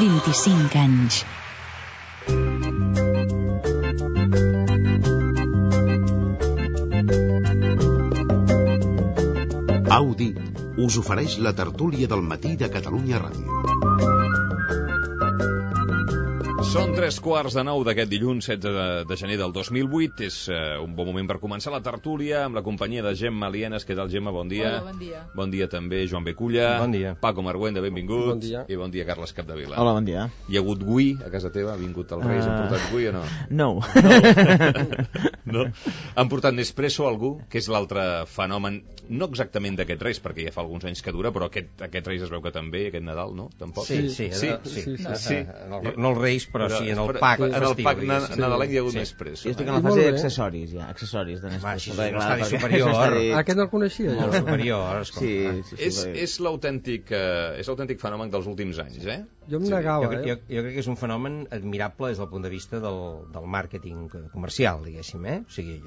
25 anys. Audi us ofereix la tertúlia del matí de Catalunya Ràdio. Són 3:15 d'aquest dilluns 16 de gener del 2008. És un bon moment per començar la tertúlia amb la companyia de Gemma Lienes. Què tal, Gemma? Bon dia. Hola, bon dia. Bon dia també, Joan Beculla. Bon dia. Paco Marguenda, benvingut. Bon dia. I bon dia, Carles Capdevila. Hola, bon dia. Hi ha hagut gui a casa teva? Ha vingut el Reis? Han portat gui o no? No. No. Han portat Nespresso, algú? Que és l'altre fenomen, no exactament d'aquest Reis, perquè ja fa alguns anys que dura, però aquest Reis es veu que també, aquest Nadal, no? Tampoc? Sí. No els Reis, però sí, en el pack. En el pack nadalenc hi ha hagut Nespresso. Jo estic en la fase d'accessoris, ja. Accessoris de Nespresso. L'estadi superior. Aquest no el coneixia, jo. El superior, Sí. És l'autèntic fenomen dels últims anys, eh? Jo em negava, jo crec que és un fenomen admirable des del punt de vista del màrqueting comercial, diguéssim, eh? O sigui,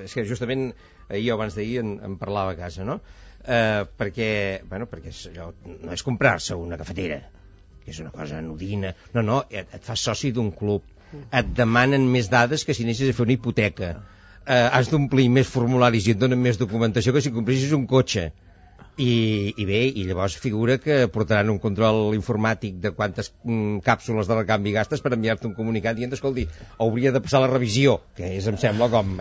és que justament ahir o abans d'ahir en parlava a casa, no? Perquè allò no és comprar-se una cafetera, que és una cosa anodina. No, et fas soci d'un club. Et demanen més dades que si anessis a fer una hipoteca. Has d'omplir més formularis i et donen més documentació que si compressis un cotxe. I llavors figura que portaran un control informàtic de quantes càpsules de recanvi gastes per enviar-te un comunicat dient, escolti, hauria de passar la revisió, que em sembla com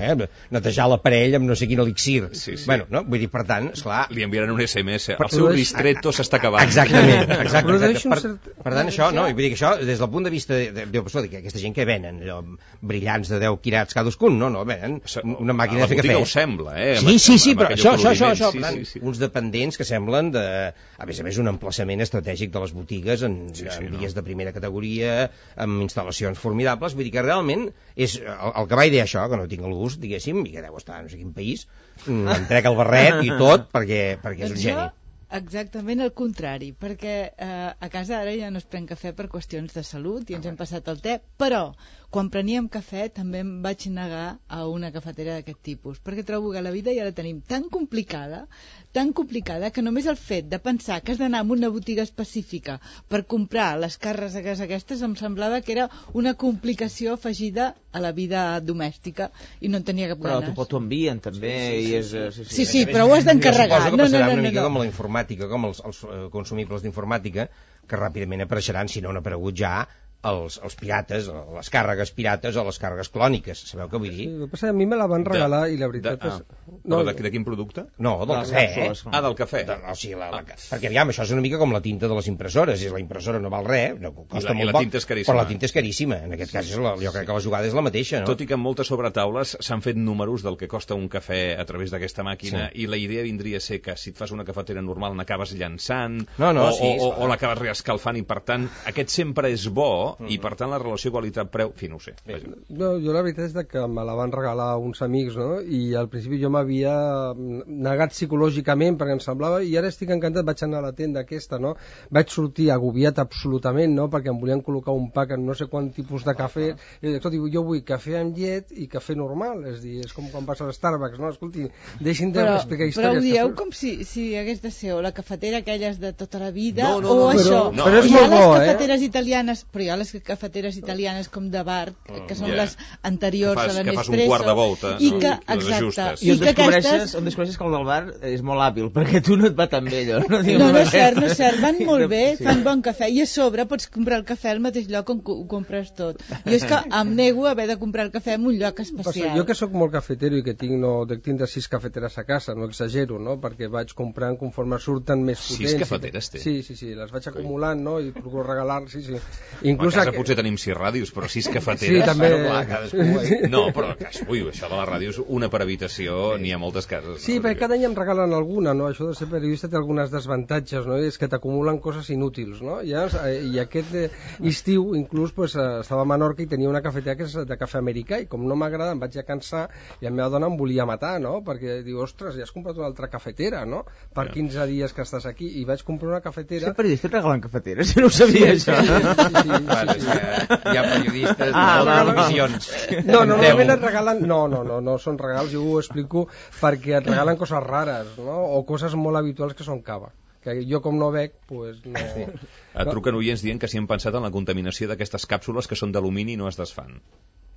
netejar l'aparell amb no sé quin elixir. Sí. Bueno, no? Vull dir, per tant, esclar... Li enviaran un SMS. El seu ristretto s'està acabant. Exactament. Per tant, això, no? Vull dir que això, des del punt de vista que aquesta gent que venen, allò, brillants de 10 quirats cadascun, no, venen una màquina de fer cafè. A la botiga ho sembla, eh? Sí, però això, sí. uns dependents que semblen a més, un emplaçament estratègic de les botigues en vies de primera categoria, amb instal·lacions formidables. Vull dir que realment és el que va idear això, que no tinc el gust, diguéssim, i que deu estar no sé quin país, em trec el barret i tot perquè és un geni. Exactament el contrari, perquè a casa ara ja no es pren cafè per qüestions de salut i ens hem passat el te, però quan preníem cafè també em vaig negar a una cafetera d'aquest tipus, perquè trobo que la vida ja la tenim tan complicada que només el fet de pensar que has d'anar a una botiga específica per comprar les càrregues aquestes em semblava que era una complicació afegida a la vida domèstica i no en tenia cap ganes. Però t'ho envien també i és... Sí, però ho has d'encarregar. Suposo que passarà una mica com la informàtica, com els consumibles d'informàtica, que ràpidament apareixeran, si no han aparegut ja, els pirates, les càrregues pirates o les càrregues clòniques, sabeu què vull dir? Sí, el que passa, a mi me la van regalar i la veritat és... Però de quin producte? No, del cafè, del cafè. Perquè, aviam, això és una mica com la tinta de les impressores, si la impressora no val res, costa molt poc, però la tinta és caríssima. En aquest cas, jo crec que la jugada és la mateixa, no? Tot i que en moltes sobretaules s'han fet números del que costa un cafè a través d'aquesta màquina, i la idea vindria a ser que si et fas una cafetera normal n'acabes llançant, o l'acabes reescalfant, i per tant, aquest sempre és bo, i per tant la relació qualitat-preu, no ho sé. No, jo la veritat és que me la van regalar uns amics, no? I al principi jo m'havia negat psicològicament perquè em semblava, i ara estic encantat, vaig anar a la tenda aquesta, no? Vaig sortir agobiat absolutament, no? Perquè em volien col·locar un pack en no sé quant tipus de cafè, i escolti, jo vull cafè amb llet i cafè normal, és com quan vas a Starbucks, no? Escolti, deixin d'explicar històries. Però ho dieu com si hagués de ser o la cafetera aquelles de tota la vida, o això. Però és molt bo, les cafeteres italianes, però hi ha les cafeteres italianes com de bar, que són les anteriors a la Nespresso, que fas un quart de volta, i que, exacte, i on descobreixes que el del bar és molt hàbil, perquè tu no et va tan bé allò. No és cert, van molt bé, fan bon cafè, i a sobre pots comprar el cafè al mateix lloc on ho compres tot. Jo és que em nego a haver de comprar el cafè en un lloc especial. Jo que sóc molt cafetero i que tinc de 6 cafeteres a casa, no exagero, no? Perquè vaig comprant conforme surten més potents. 6 cafeteres té? Sí, les vaig acumulant, no? I procuro regalar, sí. Inclús a casa potser tenim 6 ràdios, però 6 cafeteres... Sí, també... No, però això de la ràdio és una per habitació, n'hi ha moltes cases. Sí, perquè cada any em regalen alguna, no? Això de ser periodista té algunes desavantatges, no? És que t'acumulen coses inútils, no? I aquest estiu, inclús, estava a Menorca i tenia una cafetera que és de cafè americà, i com no m'agrada em vaig a cansar i la meva dona em volia matar, no? Perquè diu, ostres, ja has comprat una altra cafetera, no? Per 15 dies que estàs aquí, i vaig comprar una cafetera... Ser periodista et regalen cafeteres, no ho sabia, això. Hi ha periodistes de televisions. No, normalment et regalen... No, són regals, jo ho explico perquè et regalen coses rares, no? O coses molt habituals que són cava. que jo com no bec, doncs no... Truquen oients dient que si han pensat en la contaminació d'aquestes càpsules que són d'alumini i no es desfan.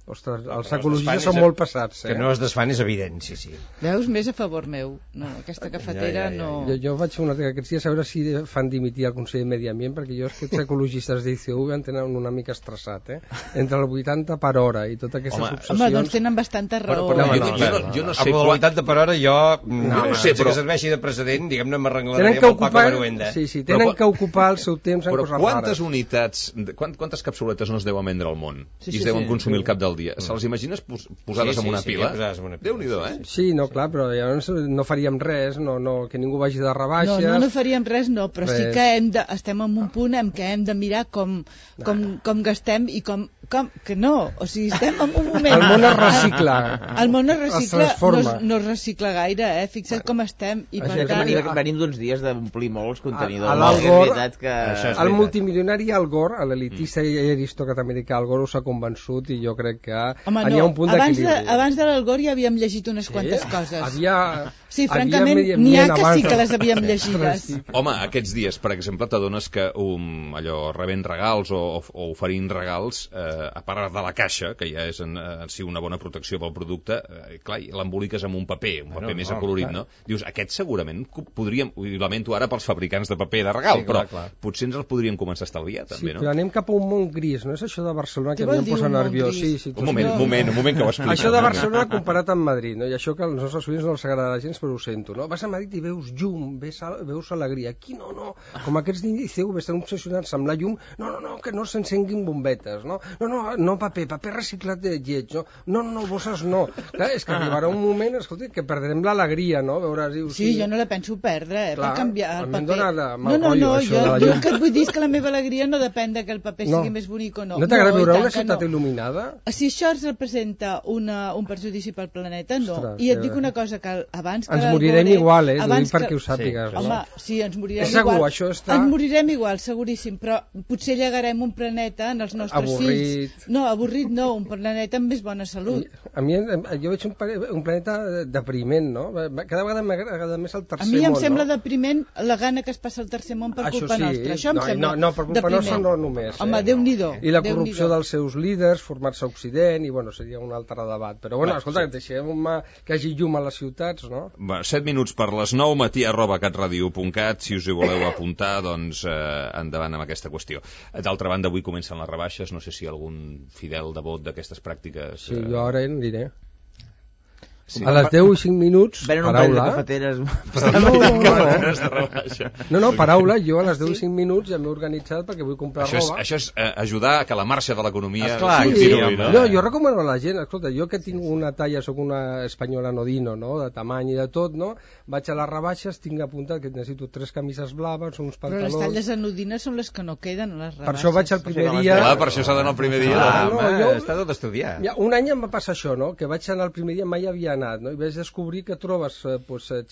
Ostres, els ecologistes són molt passats, Que no es desfan és evident, sí. Veus, més a favor meu. No, aquesta cafetera no... Jo vaig fer aquests dies a veure si fan dimitir el Consell de Medi Ambient, perquè jo aquests ecologistes d'ICV em tenen una mica estressat, entre el 80 per hora i totes aquestes obsessions... Home, doncs tenen bastanta raó. Jo no sé amb el 80 per hora jo no sé, però... que serveixi de precedent, diguem-ne, m'arreglaré amb el Paco Maruenda. Sí, tenen que ocupar el seu temps en coses rares. Però quantes unitats, quantes capsuletes no es deuen vendre al món i es deuen consumir al cap del dia? Se'ls imagines posades en una pila? Déu-n'hi-do, Sí, no, clar, però llavors no faríem res, que ningú vagi de rebaixes... No faríem res, però sí que estem en un punt en què hem de mirar com gastem i com... Que no, o sigui, estem en un moment... El món es recicla. El món es recicla, no es recicla gaire, Fixa't com estem. I per tant... Venim d'uns dies d'omplir molts contenidors. Al Gore, el multimilionari Al Gore, l'elitista i aristòcrata americà Al Gore us ha convençut i jo crec que hi ha un punt d'equilibri. Abans de l'Al Gore ja havíem llegit unes quantes coses. Sí, francament, n'hi ha que sí que les havíem llegides. Home, aquests dies, per exemple, t'adones que rebent regals o oferint regals, a part de la caixa, que ja és en si una bona protecció pel producte, clar, l'emboliques amb un paper més acolorit, no? Dius, aquest segurament podríem, ho lamento ara pels fabricants de paper de regal, però potser ens el podríem començar a estalviar, també, no? Sí, però anem cap a un món gris, no és això de Barcelona que a mi em posa nerviós. Un moment que ho explico. Això de Barcelona comparat amb Madrid, no? I això que als nostres oients no els agrada gens, però ho sento, no? Vas a Madrid i veus llum, veus alegria. Aquí no. Com aquests d'ICV estan obsessionats amb la llum, no, que no s'encenguin bombetes, no? No, paper reciclat de lleig, no, bosses no. Clar, és que arribarà un moment, escolta, que perdrem l'alegria, no? Veuràs, dius, sí, jo no la penso perdre, per canviar el paper. No, jo el que et vull dir és que la meva alegria no depèn que el paper sigui més bonic o no. No t'agrada veure una ciutat il·luminada? Si això es representa un perjudici pel planeta, no. I et dic una cosa, que abans que ens morirem igual, perquè ho sàpigues. Home, sí, ens morirem igual. Ens morirem igual, seguríssim, però potser llegarem un planeta en els nostres fills. No, avorrit no, un planeta amb més bona salut. A mi, jo veig un planeta depriment, no? Cada vegada m'agrada més el tercer món. A mi em sembla depriment la gana que es passa al tercer món per culpa nostra. Això em sembla depriment. No, per culpa nostra no només. Home, Déu-n'hi-do. I la corrupció dels seus líders, formats a Occident, i bueno, seria un altre debat. Però bueno, escolta, deixem que hagi llum a les ciutats, no? 7 minuts per les 9, matí@catradio.cat, si us hi voleu apuntar, doncs endavant amb aquesta qüestió. D'altra banda, avui comencen les rebaixes, no sé si algun fidel devot d'aquestes pràctiques... Sí, jo ara en diré. Sí. A les 10 i 5 minuts, venen un parell de cafeteres. No, paraula, jo a les 10 i 5 minuts ja m'he organitzat perquè vull comprar roba. Això és ajudar a que la marxa de l'economia continuï, no? No, jo recomano a la gent, escolta, jo que tinc una talla, soc una espanyola nodino, no?, de tamany i de tot, no?, vaig a les rebaixes, tinc apuntat que necessito 3 camises blaves, uns pantalons... Però les talles anodines són les que no queden a les rebaixes. Per això vaig al primer dia... Clar, per això s'ha d'anar al primer dia. Està tot estudiat. Un any em va passar això, no?, que vaig anar al primer dia, mai havia anat, no?, i vaig descobrir que trobes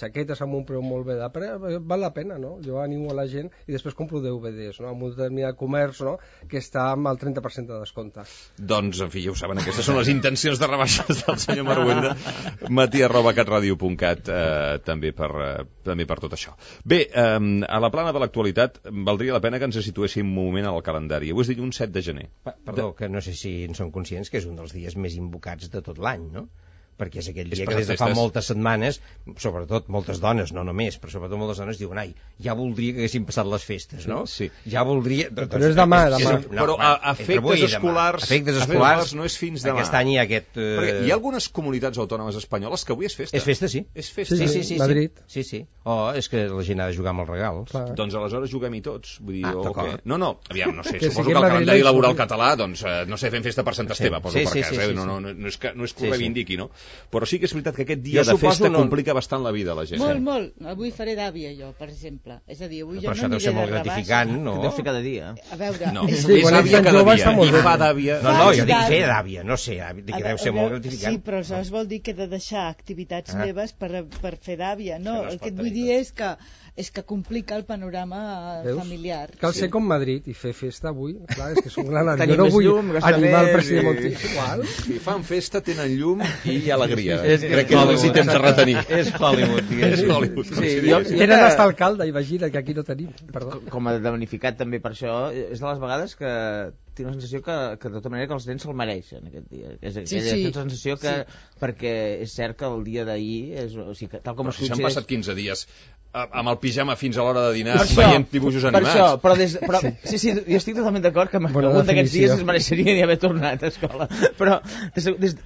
xaquetes amb un preu molt bé però val la pena, no? Jo animo a la gent i després compro DVDs, no?, amb un determinat comerç, no?, que està amb el 30% de descompte. Doncs, en fi, ja ho saben, aquestes són les intencions de rebaixes del senyor Maruenda. matí@catradio.cat, també per tot això. Bé, a la plana de l'actualitat valdria la pena que ens situéssim un moment al calendari. Avui és dilluns 7 de gener. Perdó, que no sé si en són conscients que és un dels dies més invocats de tot l'any, no? Perquè és aquell dia que des de fa moltes setmanes, sobretot moltes dones, no només, però sobretot moltes dones diuen, ai, ja voldria que haguessin passat les festes, no? Sí. Ja voldria... Però és demà. Però efectes escolars no és fins demà. Aquest any hi ha aquest... Perquè hi ha algunes comunitats autònomes espanyoles que avui és festa. És festa, sí. És festa. Sí, Madrid. Sí. Oh, és que la gent ha de jugar amb els regals. Doncs aleshores juguem-hi tots. Vull dir, no, aviam, no sé, suposo que el calendari laboral català, doncs, no sé, fem festa per Sant Esteve, poso per casa, no és que ho reivindiqui, no? Però sí que és veritat que aquest dia de festa complica bastant la vida a la gent. Molt. Avui faré d'àvia, jo, per exemple. És a dir, avui jo no aniré de rebaix. Però això deu ser molt gratificant, no? Deu fer cada dia. A veure... No, és àvia cada dia. I fa d'àvia... No, jo dic fer d'àvia, no sé, que deu ser molt gratificant. Sí, però això vol dir que he de deixar activitats meves per fer d'àvia, no? El que et vull dir és que complica el panorama familiar. Cal ser com Madrid i fer festa avui. Clar, és que és un gran... Jo no vull animar el president Montiel. Si fan festa, tenen llum i a alegria. Crec que és el temps de retenir. És Hollywood. És Hollywood. Tenen estar alcalde, imagina, que aquí no tenim. Perdó. Com a damnificat també per això, és de les vegades que tinc la sensació que de tota manera que els nens se'l mereixen aquest dia. Aquesta sensació que, perquè és cert que el dia d'ahir, o sigui, tal com es considera... Si s'han passat 15 dies amb el pijama fins a l'hora de dinar, veient dibuixos animats. Per això, sí, jo estic totalment d'acord que algun d'aquests dies es mereixeria haver tornat a escola. Però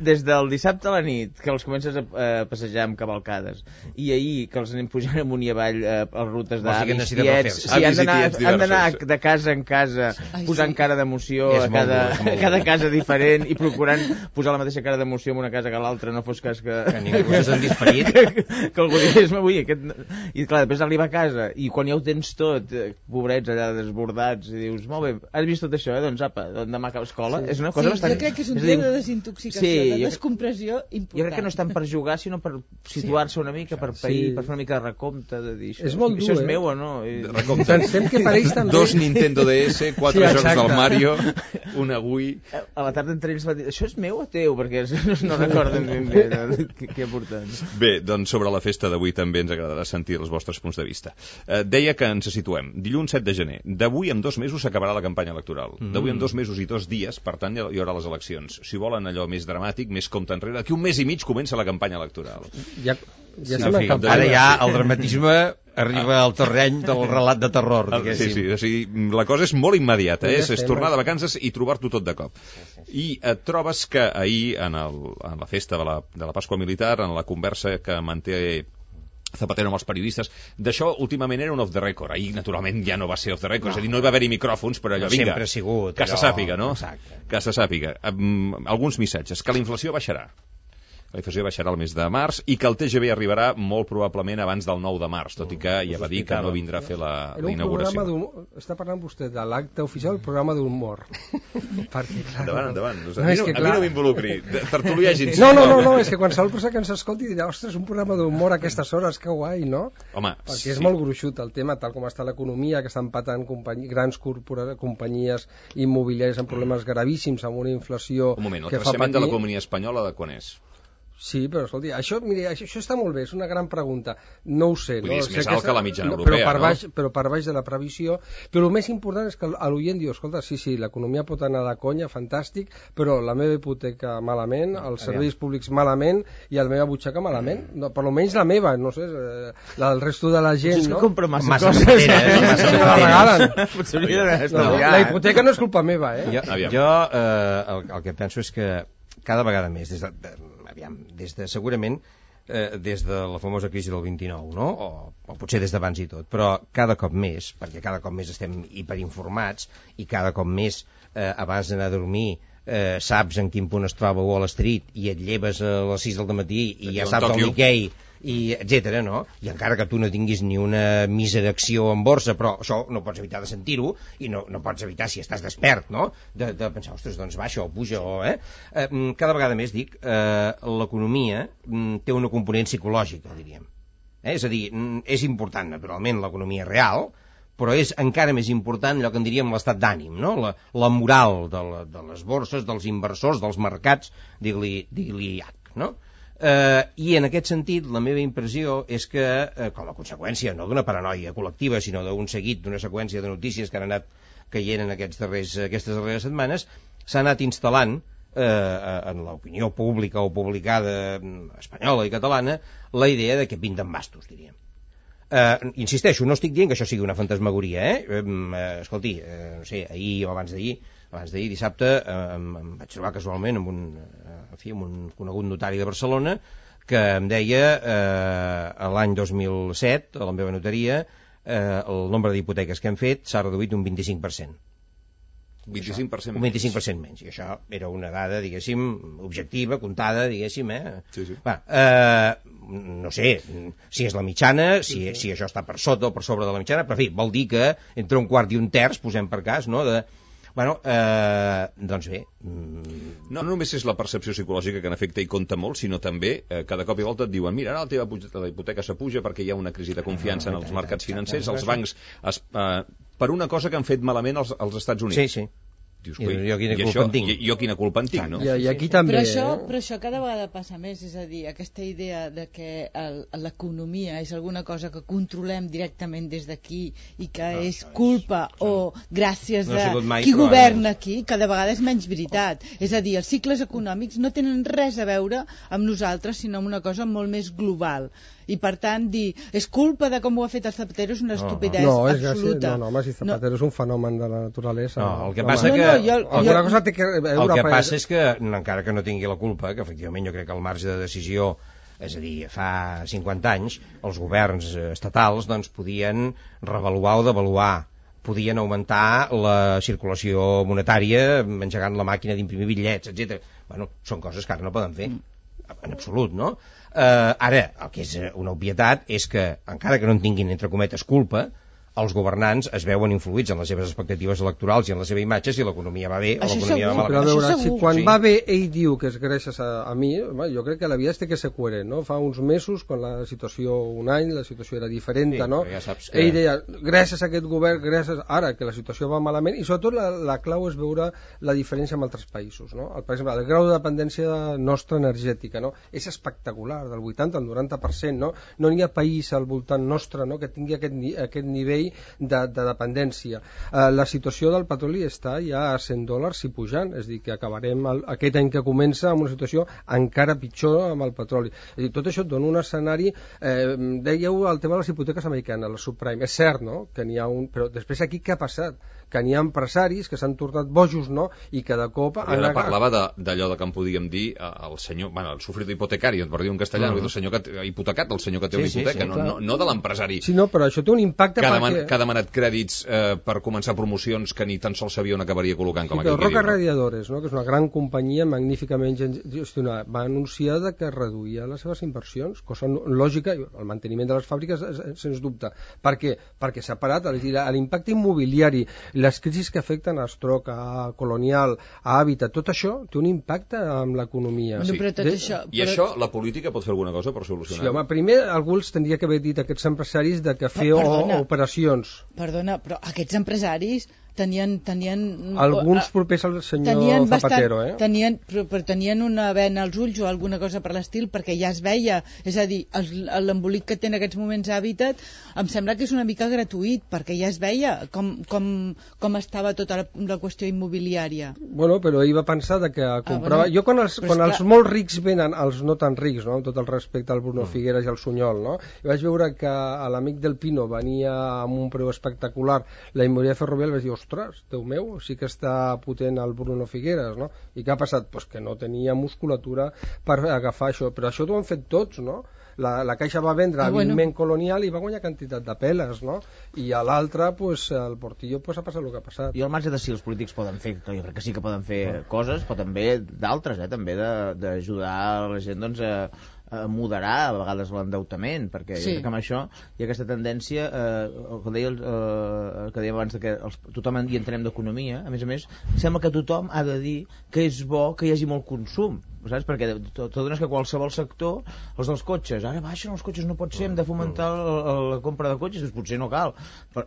des del dissabte a la nit, que els comences a passejar amb cavalcades, i ahir que els anem pujant amunt i avall a rutes d'avis, tiets, han d'anar de casa en casa posant cara d'emoció a cada casa diferent i procurant posar la mateixa cara d'emoció en una casa que l'altra, no fos cas que ningú se'n disparit, que algú digués, i clar, després arriba a casa i quan ja ho tens tot, pobrets allà desbordats, i dius, molt bé, has vist tot això, doncs apa, demà cap a escola, és una cosa bastant... Jo crec que és un dia de desintoxicació, de descompressió important. Jo crec que no és tant per jugar, sinó per situar-se una mica, per pair, per fer una mica de recompte, de dir, això és meu o no? Pensem que pareix també... 2 Nintendo DS, 4 jocs del Mario, una Wii... A la tarda entre ells va dir, això és meu o teu? Perquè no recorden ben bé què ha portat. Bé, doncs sobre la festa d'avui també ens agradarà sentir els vostres punts de vista. Deia que ens situem. Dilluns 7 de gener. D'avui en 2 mesos s'acabarà la campanya electoral. D'avui en 2 mesos i 2 dies, per tant, hi haurà les eleccions. Si volen allò més dramàtic, més compte enrere, d'aquí un mes i mig comença la campanya electoral. Ara ja el dramatisme arriba al terreny del relat de terror, diguéssim. Sí, o sigui, la cosa és molt immediata, és tornar de vacances i trobar-t'ho tot de cop. I et trobes que ahir, en la festa de la Pasqua Militar, en la conversa que manté Zapatero amb els periodistes, d'això últimament era un off the record. Ahir, naturalment, ja no va ser off the record, és a dir, no hi va haver-hi micròfons, però allò, vinga, sempre ha sigut, que se sàpiga, no? Exacte. Que se sàpiga. Alguns missatges. Que la inflació baixarà. La inflació baixarà el mes de març i que el TGV arribarà molt probablement abans del 9 de març, tot i que ja va dir que no vindrà a fer la inauguració. Està parlant vostè de l'acte oficial, el programa d'humor. Endavant. A mi no m'involucri. Tertulià gens. No, és que qualsevol persona que ens escolti dirà, ostres, un programa d'humor a aquestes hores, que guai, no? Home, perquè és molt gruixut el tema, tal com està l'economia, que estan patant grans companyies immobiliàries amb problemes gravíssims, amb una inflació... Un moment, el creixement de l'economia espanyola de quan és? Sí, però escolti, això està molt bé, és una gran pregunta. No ho sé. És més alt que la mitjana europea, però per baix de la previsió. Però el més important és que l'oient diu, escolta, sí, l'economia pot anar de conya, fantàstic, però la meva hipoteca malament, els serveis públics malament i la meva butxaca malament. No, per almenys la meva, no sé, la del resto de la gent, no? És que compro massa coses. La hipoteca no és culpa meva, Jo el que penso és que cada vegada més, segurament des de la famosa crisi del 29, no? O potser des d'abans i tot, però cada cop més, perquè cada cop més estem hiperinformats i cada cop més abans d'anar a dormir saps en quin punt es troba Wall Street i et lleves a les 6 del matí i ja saps el Nikkei i etcètera, no? I encara que tu no tinguis ni una mísera acció en borsa, però això no pots evitar de sentir-ho i no pots evitar, si estàs despert, no? De pensar, ostres, doncs baixa o puja cada vegada més, dic, l'economia té una component psicològica, diríem. És a dir, és important, naturalment, l'economia real, però és encara més important allò que en diríem l'estat d'ànim, no? La moral de les borses, dels inversors, dels mercats, digue-li no? I en aquest sentit la meva impressió és que com a conseqüència no d'una paranoia col·lectiva sinó d'un seguit, d'una seqüència de notícies que han anat caient en aquestes darreres setmanes, s'ha anat instal·lant en l'opinió pública o publicada espanyola i catalana la idea de que pinten bastos, diríem. Insisteixo, no estic dient que això sigui una fantasmagoria, escolti, no sé, ahir o abans d'ahir, dissabte, em vaig trobar casualment amb un conegut notari de Barcelona que em deia l'any 2007, a la meva notaria, el nombre d'hipoteques que hem fet s'ha reduït un 25%. 25% un 25% menys. I això era una dada, diguéssim, objectiva, comptada, diguéssim, Sí. No sé si és la mitjana, si això està per sota o per sobre de la mitjana, però en fi, vol dir que entre un quart i un terç, posem per cas, no?, doncs bé. No només és la percepció psicològica que en efecte hi compta molt, sinó també cada cop i volta et diuen, mira, ara la hipoteca s'apuja perquè hi ha una crisi de confiança en els mercats financers, els bancs per una cosa que han fet malament als Estats Units. Sí. dius, jo quina culpa en tinc, no? I aquí també... Però això cada vegada passa més, és a dir, aquesta idea de que l'economia és alguna cosa que controlem directament des d'aquí i que és culpa o gràcies a qui governa aquí, cada vegada és menys veritat. És a dir, els cicles econòmics no tenen res a veure amb nosaltres, sinó amb una cosa molt més global. I per tant dir, és culpa de com ho ha fet el Zapatero és una estupidesa absoluta. No, home, si Zapatero és un fenomen de la naturalesa. No, el que passa el que passa és que, encara que no tingui la culpa, que efectivament jo crec que el marge de decisió, és a dir, fa 50 anys els governs estatals doncs podien revaluar o devaluar, podien augmentar la circulació monetària engegant la màquina d'imprimir bitllets, etc. Bueno, són coses que ara no poden fer, en absolut, no? Ara, el que és una obvietat és que, encara que no en tinguin, entre cometes, culpa, els governants es veuen influïts en les seves expectatives electorals i en la seva imatge si l'economia va bé o l'economia va malament. Però a veure, si quan va bé ell diu que és gràcies a mi, jo crec que la vida té que ser coherent, no? Fa uns mesos, quan la situació, un any, la situació era diferent, no? Ja saps que... Ell deia, gràcies a aquest govern, gràcies ara que la situació va malament, i sobretot la clau és veure la diferència amb altres països, no? Per exemple, el grau de dependència nostra energètica, no? És espectacular, del 80 al 90%, no? No hi ha país al voltant nostre, no?, que tingui aquest nivell de dependència. La situació del petroli està ja a $100 i pujant, és a dir, que acabarem aquest any que comença amb una situació encara pitjor amb el petroli. És a dir, tot això et dona un escenari, dèieu el tema de les hipoteques americanes, la subprime, és cert, no?, que n'hi ha un, però després aquí què ha passat? Que n'hi ha empresaris que s'han tornat bojos, no?, i que de cop... Ara parlava d'allò que en podíem dir el senyor, bueno, el sofrito hipotecari, per dir un castellà, el senyor que ha hipotecat, el senyor que té una hipoteca, no de l'empresari. Sí, no, però això té un impacte que ha demanat crèdits per començar promocions que ni tan sols sabia on acabaria col·locant, com aquell que diu. Roca Radiadores, no?, que és una gran companyia magníficament gestionada, va anunciar que reduïa les seves inversions, cosa lògica, el manteniment de les fàbriques sens dubte. Per què? Perquè s'ha parat, l'impacte immobiliari, les crisis que afecten a Estroc, a Colonial, a Habitat, tot això té un impacte amb l'economia. Sí. I això, la política pot fer alguna cosa per solucionar-ho? Sí, home, primer algú els tindria que haver dit a aquests empresaris de que fer operacions. Perdona, però aquests empresaris tenien alguns propers al senyor Zapatero, però tenien una vena als ulls o alguna cosa per l'estil, perquè ja es veia, és a dir, l'embolic que té en aquests moments Habitat em sembla que és una mica gratuït, perquè ja es veia com estava tota la qüestió immobiliària. Bueno, però ell va pensar que comprava... Jo quan els molt rics venen als no tan rics, no?, amb tot el respecte al Bruno Figueras i al Sunyol, no?, i vaig veure que l'amic del Pino venia amb un preu espectacular, la immobiliària Ferrovial, vaig dir, ostres, Déu meu, sí que està potent el Bruno Figueras, no? I què ha passat? Pues que no tenia musculatura per agafar això, però això ho han fet tots, no? La Caixa va vendre hàbilment Colonial i va guanyar quantitat de peles, no? I a l'altre, pues, el Portillo, pues, ha passat el que ha passat. I al marge de si els polítics poden fer, que jo crec que sí que poden fer coses, però també d'altres, també d'ajudar la gent, doncs, a moderar a vegades l'endeutament, perquè jo crec que amb això hi ha aquesta tendència, el que deia abans, que tothom hi entenem d'economia, a més, sembla que tothom ha de dir que és bo que hi hagi molt consum, saps? Perquè tot és que qualsevol sector, els dels cotxes, ara baixen els cotxes, no pot ser, hem de fomentar la compra de cotxes, doncs potser no cal, per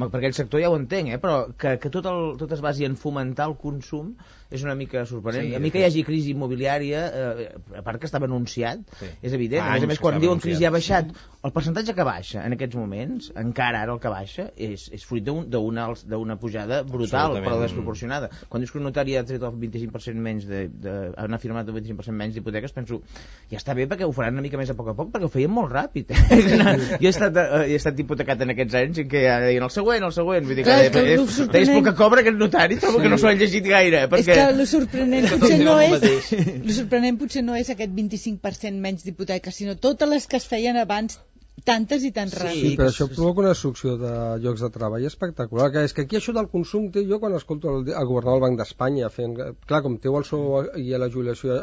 aquell sector ja ho entenc, però que tot es basi en fomentar el consum és una mica sorprenent. A mi que hi hagi crisi immobiliària, a part que estava anunciat, és evident. A més, quan diuen crisi ha baixat, el percentatge que baixa en aquests moments, encara ara el que baixa, és fruit d'una pujada brutal, però desproporcionada. Quan dius que un notari ha tret el 25% menys han afirmat el 25% menys d'hipoteques, penso, ja està bé perquè ho faran una mica més a poc, perquè ho feien molt ràpid. Jo he estat hipotecat en aquests anys en què deien el següent. Vull dir que és el que cobra aquest notari, trobo que no s'ho han llegit gaire, perquè lo sorprenent potser no és aquest 25% menys d'hipoteques, sinó totes les que es feien abans, tantes i tan ràpid. Sí, però això provoca una destrucció de llocs de treball espectacular, que és que aquí això del consum jo quan escolto el governador del Banc d'Espanya fent, clar, com teu el sou i la jubilació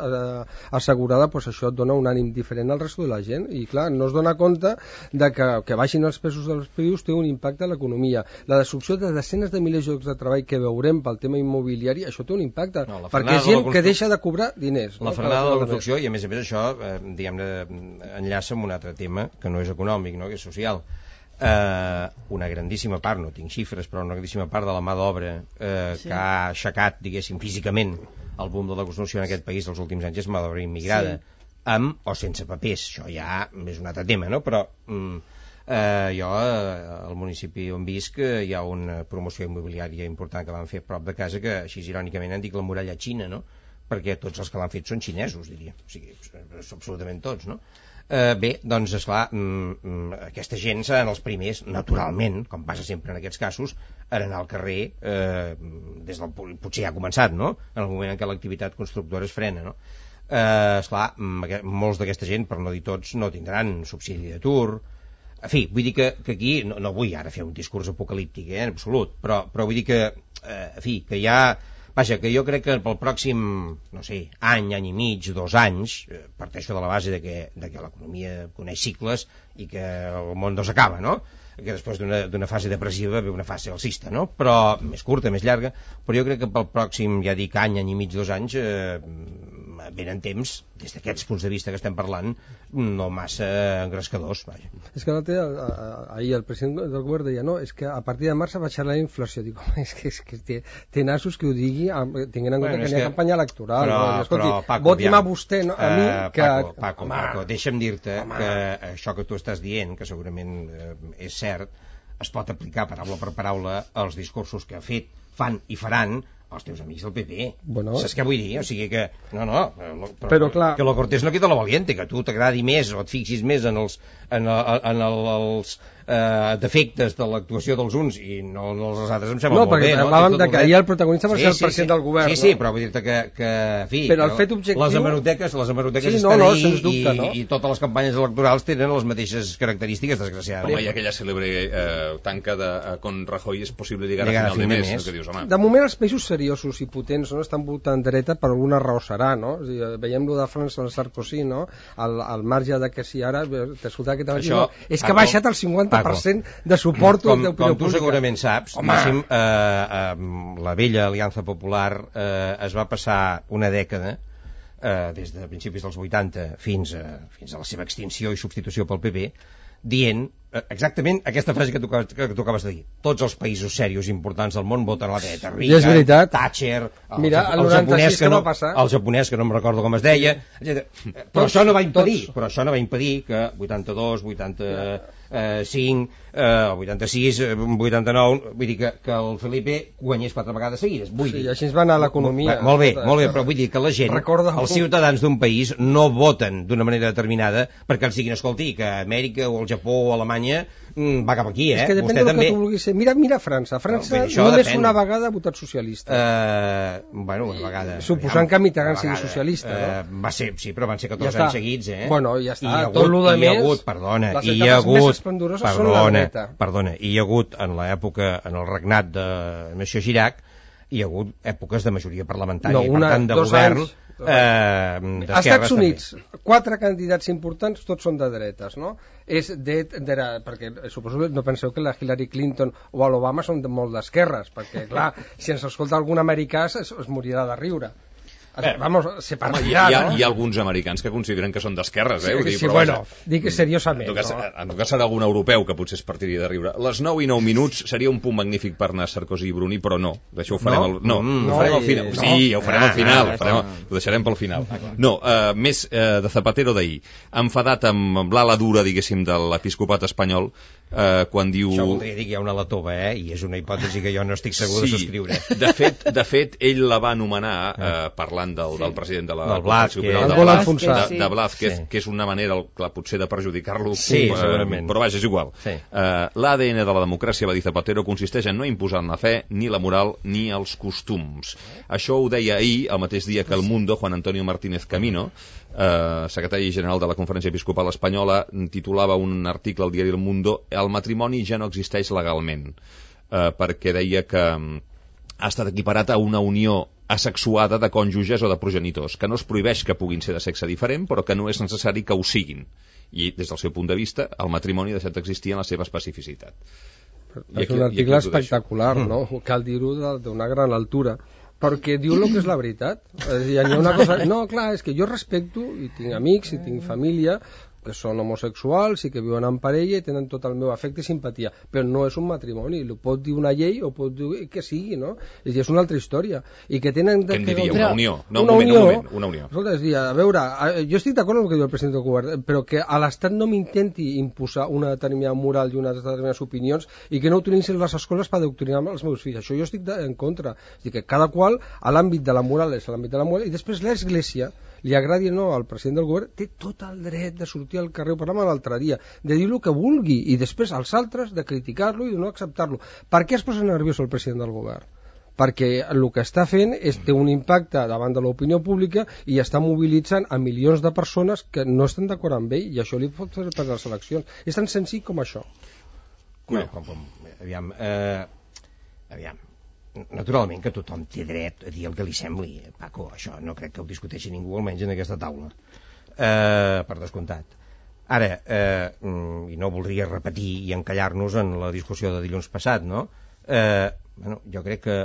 assegurada, doncs això et dona un ànim diferent al resto de la gent, i clar, no es dona compte de que baixin els preus dels pisos té un impacte a l'economia. La destrucció de desenes de milers de llocs de treball que veurem pel tema immobiliari, això té un impacte, perquè és gent que deixa de cobrar diners. La frenada de la construcció, i a més això, diguem-ne, enllaça amb un altre tema que no és econòmic, no? Que és social. una grandíssima part, no tinc xifres, però una grandíssima part de la mà d'obra que ha aixecat, diguéssim, físicament el boom de la construcció en aquest país els últims anys és mà d'obra immigrada, amb o sense papers. Això ja és un altre tema, no? Però jo al municipi on visc hi ha una promoció immobiliària important que van fer a prop de casa, que així irònicament han dit la muralla xina, no? Perquè tots els que l'han fet són xinesos, diria, o sigui, absolutament tots, no? Bé, doncs esclar, aquesta gent seran els primers, naturalment, com passa sempre en aquests casos, a anar al carrer des del, potser ja ha començat, no? En el moment en què l'activitat constructora es frena, no? Esclar, molts d'aquesta gent, per no dir tots, no tindran subsidi d'atur. En fi, vull dir que aquí no vull ara fer un discurs apocalíptic, en absolut, però vull dir que, en fi, que hi ha... Vaja, que jo crec que pel pròxim, no sé, any i mig, 2 anys, parteixo de la base de que l'economia coneix cicles i que el món no s'acaba, no? Que després d'una fase depressiva ve una fase alcista, no? Però més curta, més llarga, però jo crec que pel pròxim, ja dic, any i mig, 2 anys, venen temps, des d'aquests punts de vista que estem parlant, no massa engrescadors, vaja. És que ahir el president del govern deia, no, és que a partir de març baixarà la inflació. Dic, és que té nassos que ho digui, tinguent en compte que n'hi ha campanya electoral. Però Paco, voti'm a vostè, no, a mi, que... Paco, deixa'm dir-te que això que tu estàs dient, que segurament és cert, es pot aplicar paraula per paraula als discursos que ha fet, fan i faran els teus amics del PP. Bueno, saps què vull dir? O sigui que... Però clar... Que lo cortés no quita lo valiente, que a tu t'agradi més o et fixis més en els defectes de l'actuació dels uns i no els altres, em sembla molt bé. No, perquè parlàvem que ahir el protagonista va ser el president del govern. Sí, però vull dir-te que en fi, però el fet objectiu... les hemeroteques estan ahí i totes les campanyes electorals tenen les mateixes característiques, desgraciadament. Home, hi ha aquella cèlebre tanca de con Rajoy és possible llegar a final de mes, que dius, home. De moment els països seriosos i potents no estan votant dreta, per alguna raó serà, no? O sigui, veiem lo de França amb Sarkozy, no? Al marge de que si ara t'escoltava aquest matí, no? És que ha baixat el 50% de suport d'opinió pública. Com tu segurament saps, la vella Aliança Popular es va passar una dècada, des de principis dels 80 fins a la seva extinció i substitució pel PP, dient exactament aquesta frase que tu acabes de dir. Tots els països serios importants del món voten a la dreta. Reagan, Thatcher, el japonès que no em recordo com es deia, però això no va impedir que 82, 85, 86, 89, vull dir que el Felipe guanyés 4 vegades seguides. Sí, així ens va anar l'economia. Molt bé, però vull dir que la gent, els ciutadans d'un país no voten d'una manera determinada perquè els diguin, escolti, que Amèrica o el Japó o Alemanya va cap aquí, És que depèn del que tu vulguis ser. Mira França. França només una vegada ha votat socialista. Bueno, una vegada. Suposant que Mitterrand sigui socialista, no? Va ser, sí, però van ser 14 anys seguits, Bueno, ja està. Tot lo de més... I hi ha hagut, perdona, i hi ha hagut en l'època, en el regnat de Monsieur Chirac, hi ha hagut èpoques de majoria parlamentària i per tant de govern als Estats Units 4 candidats importants tots són de dretes, no? Perquè suposo que no penseu que la Hillary Clinton o l'Obama són molt d'esquerres, perquè clar, si ens escolta algun americà es morirà de riure. Vamos, se partirà, no? Hi ha alguns americans que consideren que són d'esquerres, dic seriosament. En tot cas serà algun europeu que potser es partiria de riure. Les 9:09 seria un punt magnífic per anar a Sarkozy i Bruni, però no. D'això ho farem ho farem al final. Sí, ho farem al final. Ho deixarem pel final. No, més de Zapatero d'ahir. Enfadat amb l'ala dura, diguéssim, de l'episcopat espanyol, quan diu... Això voldria dir que hi ha una latova, i és una hipòtesi que jo no estic segur de subscriure. De fet, ell la va anomenar, parlant del president de la Blázquez, de Blázquez, que és una manera potser de perjudicar-lo, però vaja, és igual. L'ADN de la democràcia, va dir Zapatero, consisteix en no imposar la fe, ni la moral, ni els costums. Això ho deia ahir, el mateix dia que el Mundo, Juan Antonio Martínez Camino, secretari general de la Conferència Episcopal Espanyola, titulava un article al diari El Mundo: el matrimoni ja no existeix legalment, perquè deia que ha estat equiparat a una unió asexuada de cònjuges o de progenitors, que no es prohibeix que puguin ser de sexe diferent, però que no és necessari que ho siguin. I des del seu punt de vista, el matrimoni ha deixat d'existir en la seva especificitat. És un article espectacular, no? Cal dir-ho d'una gran altura, perquè diu el que és la veritat. Hi ha una cosa... No, clar, és que jo respecto, i tinc amics, i tinc família, que són homosexuals i que viuen en parella i tenen tot el meu afecte i simpatia, però no és un matrimoni, ho pot dir una llei o pot dir que sigui, no? És una altra història. I que tenen... Què en diria? Una unió? No, una unió. Una unió. Escolta, és dir, a veure, jo estic d'acord amb el que diu el president del govern, però que a l'Estat no m'intenti imposar una determinada moral i unes determinades opinions i que no utilitzin les escoles per adoctrinar els meus fills. Això jo estic en contra. És dir, que cada qual a l'àmbit de la moral és l'àmbit de la moral i després l'Església, li agradi o no al president del govern, té tot el dret de sortir al carrer, ho parlàvem l'altre dia, de dir el que vulgui i després als altres de criticar-lo i de no acceptar-lo. Per què es posa nerviós el president del govern? Perquè el que està fent té un impacte davant de l'opinió pública i està mobilitzant a milions de persones que no estan d'acord amb ell i això li pot fer per les eleccions. És tan senzill com això. Aviam. Naturalment que tothom té dret a dir el que li sembli, Paco, això no crec que ho discuteixi ningú, almenys en aquesta taula, per descomptat. Ara, i no voldria repetir i encallar-nos en la discussió de dilluns passat, no? Jo crec que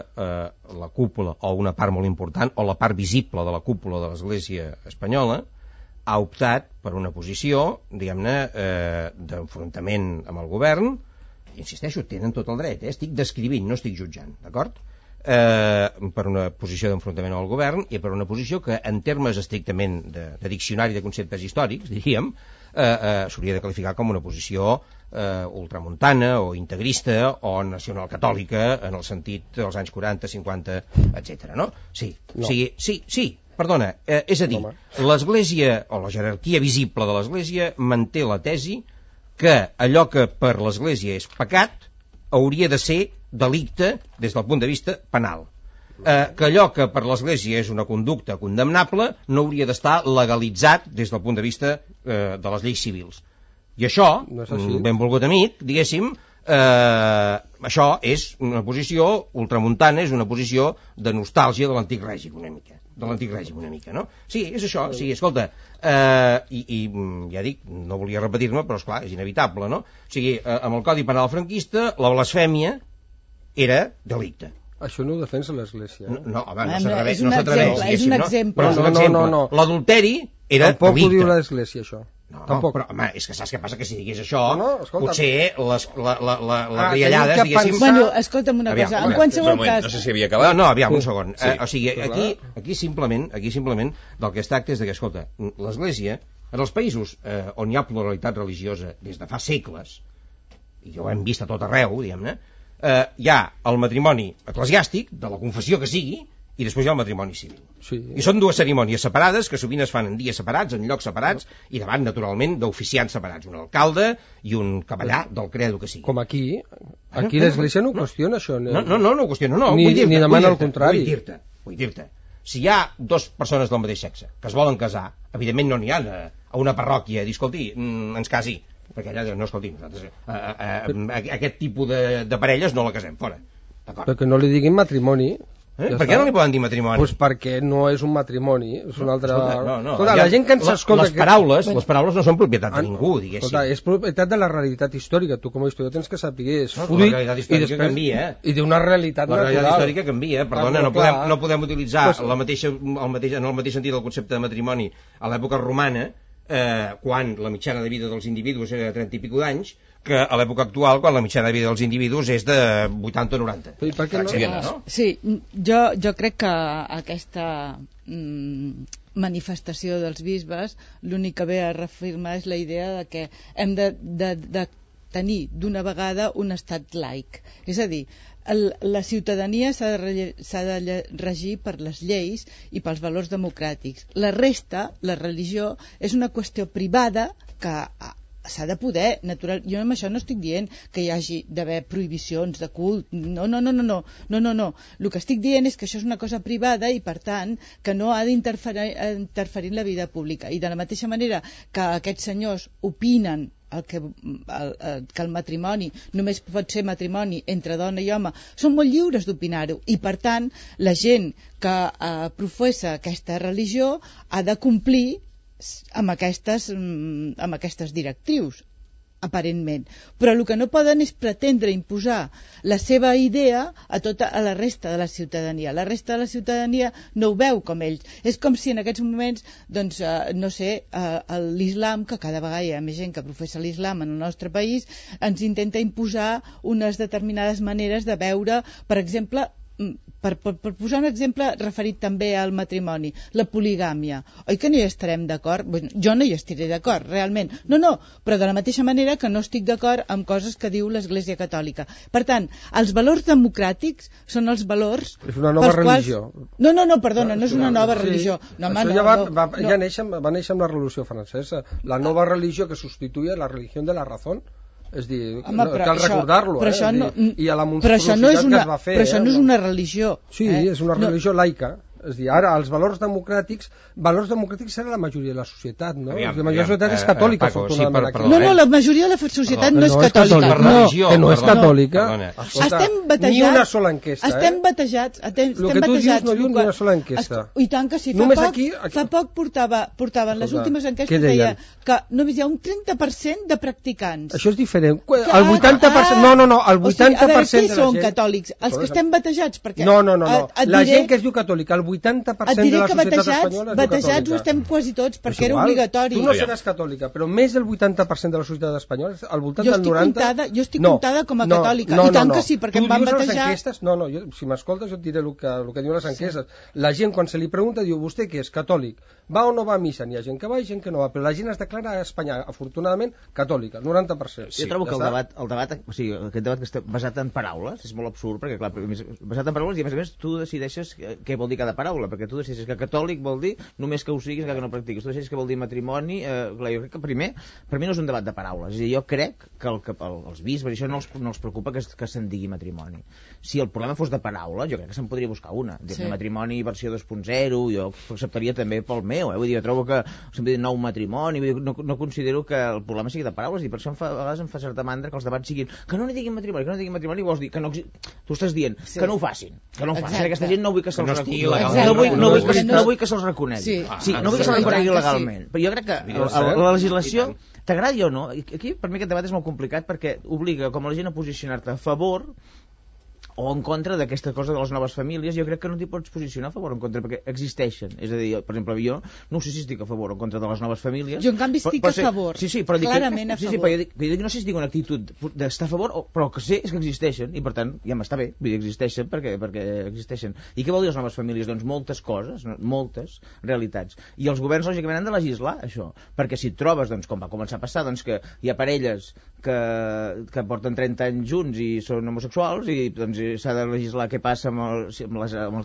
la cúpula, o una part molt important, o la part visible de la cúpula de l'Església espanyola, ha optat per una posició, diguem-ne, d'enfrontament amb el govern. Insisteixo, tenen tot el dret, estic descrivint, no estic jutjant, d'acord? Per una posició d'enfrontament al govern i per una posició que en termes estrictament de diccionari de conceptes històrics, diríem, s'hauria de qualificar com una posició ultramuntana o integrista o nacionalcatòlica en el sentit dels anys 40, 50, etc. No? Sí, no. Sí, perdona, és a dir, l'Església o la jerarquia visible de l'Església manté la tesi que allò que per l'Església és pecat hauria de ser delicte des del punt de vista penal. Que allò que per l'Església és una conducta condemnable no hauria d'estar legalitzat des del punt de vista de les lleis civils. I això, benvolgut amic, diguéssim, això és una posició ultramuntana, és una posició de nostàlgia de l'antic règim una mica, no? Sí, és això, sí, escolta, i ja dic, no volia repetir-me, però esclar, és inevitable, no? O sigui, amb el Codi Penal franquista, la blasfèmia era delicte. Això no ho defensa l'Església. No, home, no s'atreveix. És un exemple. No. L'adulteri era tampoc delicte. Tampoc ho diu l'Església, això. No, però, home, és que saps què passa? Que si digués això, potser les riallades, diguéssim... Bueno, escolta'm una cosa, en qualsevol cas... No sé si havia acabat. No, aviam, un segon. O sigui, aquí simplement del que es tracta és de que, escolta, l'Església, en els països on hi ha pluralitat religiosa des de fa segles, i ho hem vist a tot arreu, diguem-ne, hi ha el matrimoni eclesiàstic, de la confessió que sigui, i després hi ha el matrimoni civil. Sí. I són dues cerimònies separades que sovint es fan en dies separats, en llocs separats, i davant, naturalment, d'oficiants separats, un alcalde i un capellà del credo que sigui. Com aquí l'Església no ho qüestiona, això. No ho qüestiona, no. Ni demana el contrari. Vull dir-te, si hi ha dues persones del mateix sexe que es volen casar, evidentment no n'hi ha a una parròquia a dir, escolti, ens casi, perquè allà no, escolti, nosaltres aquest tipus de parelles no la casem, fora. Perquè no li diguin matrimoni. Per què no li poden dir matrimoni? Pues perquè no és un matrimoni, és una altra... No. Escolta, la gent que ens escolta... Les paraules no són propietat de ningú, diguéssim. Escolta, és propietat de la realitat històrica. Tu com a historiador tens que saber és fruit la realitat històrica canvia, i d'una realitat natural. La realitat històrica canvia, perdona, no podem utilitzar en el mateix sentit el concepte de matrimoni a l'època romana, quan la mitjana de vida dels individus era de 30 i pico d'anys, que a l'època actual, quan la mitjana de vida dels individus és de 80 o 90. I per què no? Sí, jo crec que aquesta manifestació dels bisbes l'únic que ve a reafirmar és la idea de que hem de tenir d'una vegada un estat laic. És a dir, la ciutadania s'ha de regir per les lleis i pels valors democràtics. La resta, la religió, és una qüestió privada que s'ha de poder, natural. Jo amb això no estic dient que hi hagi d'haver prohibicions de cult, no. El que estic dient és que això és una cosa privada i per tant que no ha d'interferir en la vida pública, i de la mateixa manera que aquests senyors opinen que el matrimoni només pot ser matrimoni entre dona i home, són molt lliures d'opinar-ho, i per tant la gent que professa aquesta religió ha de complir amb aquestes directrius. aparentment. Però el que no poden és pretendre imposar la seva idea a la resta de la ciutadania. La resta de la ciutadania no ho veu com ells. És com si en aquests moments, doncs, no sé, l'islam, que cada vegada hi ha més gent que professa l'islam en el nostre país, ens intenta imposar unes determinades maneres de veure, per exemple, per posar un exemple referit també al matrimoni, la poligàmia. Oi que no hi estarem d'acord? Bueno, jo no hi estaré d'acord, realment. No, però de la mateixa manera que no estic d'acord amb coses que diu l'Església Catòlica. Per tant, els valors democràtics són els valors... És una nova religió. No, perdona, no és una nova religió. No, això va néixer amb la Revolució Francesa. La nova religió que substituïa la religió de la raó. És dir, cal recordar-lo, i a la monstruositat que es va fer. Però això no és una religió. Sí, és una religió laica. És dir, ara els valors democràtics serà la majoria de la societat, no? La majoria de la societat és catòlica, afortunadament. No, la majoria de la societat no és catòlica. Que no és catòlica. Estem batejats. Ni una sola enquesta. Estem batejats. El que tu dius no diu ni una sola enquesta. I tant que sí. Fa poc portaven les últimes enquestes, deia que només hi ha un 30% de practicants. Això és diferent. El 80%... No, el 80% de la gent... Què són catòlics? Els que estem batejats? No. La gent que es diu catòlica, el 80% de la societat espanyola és batejats ho estem quasi tots, perquè era obligatori. Tu no seràs catòlica, però més del 80% de la societat espanyola, al voltant del 90%... Jo estic comptada com a catòlica, i tant que sí, perquè em van batejar... Si m'escoltes jo et diré el que diuen les enquestes. La gent, quan se li pregunta, diu, vostè què és, catòlic? Va o no va a missa? N'hi ha gent que va i gent que no va, però la gent es declara a Espanya, afortunadament, catòlica, 90%. Jo trobo que el debat, o sigui, aquest debat que està basat en paraules, és molt absurd, perquè clar, basat en paraules, i a més tu decideixes què vol dir cada paraula, perquè tu decideixes que catòlic vol dir només que ho siguis, que no practiquis. Tu decideixes que vol dir matrimoni. Clar, jo crec que primer, per mi no és un debat de paraules. És a dir, jo crec que els bisbes, això no els preocupa que se'n digui matrimoni. Si el problema fos de paraula, jo crec que se'n podria buscar una. Matrimoni versió 2.0, jo acceptaria també pel meu. Vull dir, jo trobo que sempre dic nou matrimoni, no considero que el problema sigui de paraules, i per això a vegades em fa certa mandra que els debats siguin que no n'hi diguin matrimoni, vols dir que no... Tu estàs dient que no ho facin, aquesta gent no vull que se'ls reconegui. No vull que se'ls reconegui. No vull que se'ls reconegui legalment. Però jo crec que la legislació, t'agradi o no, aquí per mi aquest debat és molt complicat perquè obliga com a la gent a posicionar-te a favor o en contra d'aquesta cosa de les noves famílies. Jo crec que no t'hi pots posicionar a favor o en contra, perquè existeixen. És a dir, per exemple, jo no sé si estic a favor o en contra de les noves famílies. Jo, en canvi, estic a favor. Clarament a favor. Però jo no sé si tinc una actitud d'estar a favor, però que sé és que existeixen, i per tant ja m'està bé, vull dir, existeixen perquè existeixen. I què vol dir les noves famílies? Doncs moltes coses, moltes realitats. I els governs, lògicament, han de legislar això, perquè si et trobes, doncs, com va començar a passar, doncs que hi ha parelles que porten 30 anys junts i són homosexuals, i doncs s'ha de legislar què passa amb els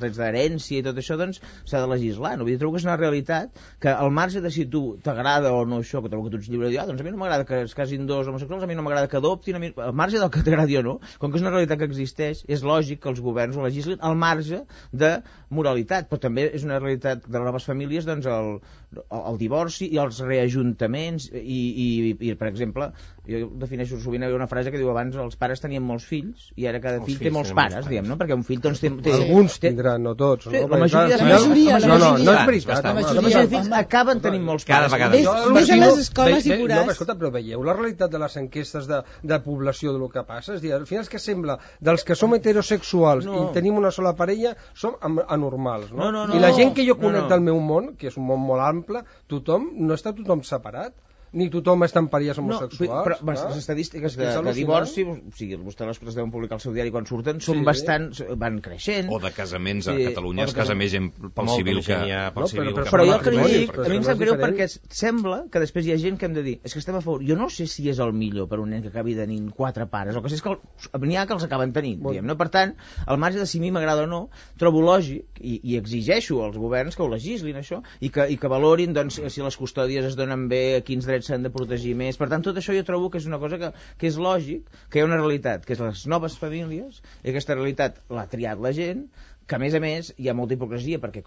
drets d'herència i tot això, doncs s'ha de legislar. No? Vull dir, trobo que és una realitat que al marge de si tu t'agrada o no això, que trobo que tu ets lliure de dir, doncs a mi no m'agrada que es casin dos homosexuals, a mi no m'agrada que adoptin, al marge del que t'agradi o no, com que és una realitat que existeix, és lògic que els governs ho legislin al marge de moralitat, però també és una realitat de les noves famílies, doncs el divorci i els reajuntaments i per exemple, jo defineixo sovint, hi ha una frase que diu abans els pares tenien molts fills i ara cada fill té molts pares, diguem, no? Perquè un fill doncs té... Alguns tindran, no tots. La majoria. No és veritat. La majoria de fills acaben tenint molts pares. Cada vegada. Ves a les escoles i veuràs. No, escolta, però veieu la realitat de les enquestes de població del que passa? És a dir, al final és que sembla, dels que som heterosexuals i tenim una sola parella, som anormals, no? I la gent que jo conec del meu món, que és un món molt ample, no està tothom separat, ni tothom està en parelles homosexuals. Però les estadístiques de divorci, o sigui, vostès les deuen publicar al seu diari quan surten, són bastant... van creixent. O de casaments a Catalunya es casa més gent pel civil que pel civil. Però jo el que li dic, a mi em sap greu perquè sembla que després hi ha gent que hem de dir és que estem a favor. Jo no sé si és el millor per un nen que acabi tenint 4 pares, o que sé és que n'hi ha que els acaben tenint, diguem, no? Per tant, al marge de si a mi m'agrada o no, trobo lògic i exigeixo als governs que ho legislin això i que valorin doncs, si les custòdies es donen bé, quins drets s'han de protegir més. Per tant, tot això jo trobo que és una cosa que és lògic, que hi ha una realitat, que és les noves famílies, i aquesta realitat l'ha triat la gent, que a més hi ha molta hipocresia, perquè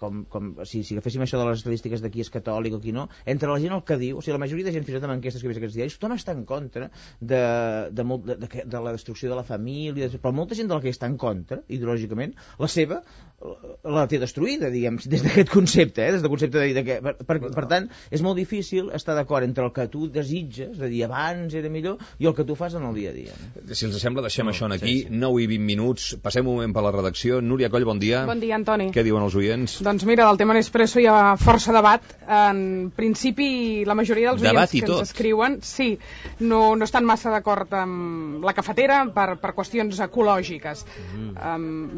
si agaféssim això de les estadístiques de qui és catòlic o qui no, entre la gent el que diu, o sigui, la majoria de gent fins i tot amb enquestes que he vist aquests diaris, tothom està en contra de la destrucció de la família, però molta gent de la que està en contra, ideològicament, la seva la té destruïda, diguem, des d'aquest concepte, des del concepte de que... Per tant, és molt difícil estar d'acord entre el que tu desitges, de dir abans era millor, i el que tu fas en el dia a dia. Si els sembla, deixem això aquí, 9 i 20 minuts, passem un moment per la redacció. Núria Coll, bon dia. Bon dia, Antoni. Què diuen els oients? Doncs mira, del tema Nespresso hi ha força debat. En principi, la majoria dels oients que ens escriuen no estan massa d'acord amb la cafetera per qüestions ecològiques.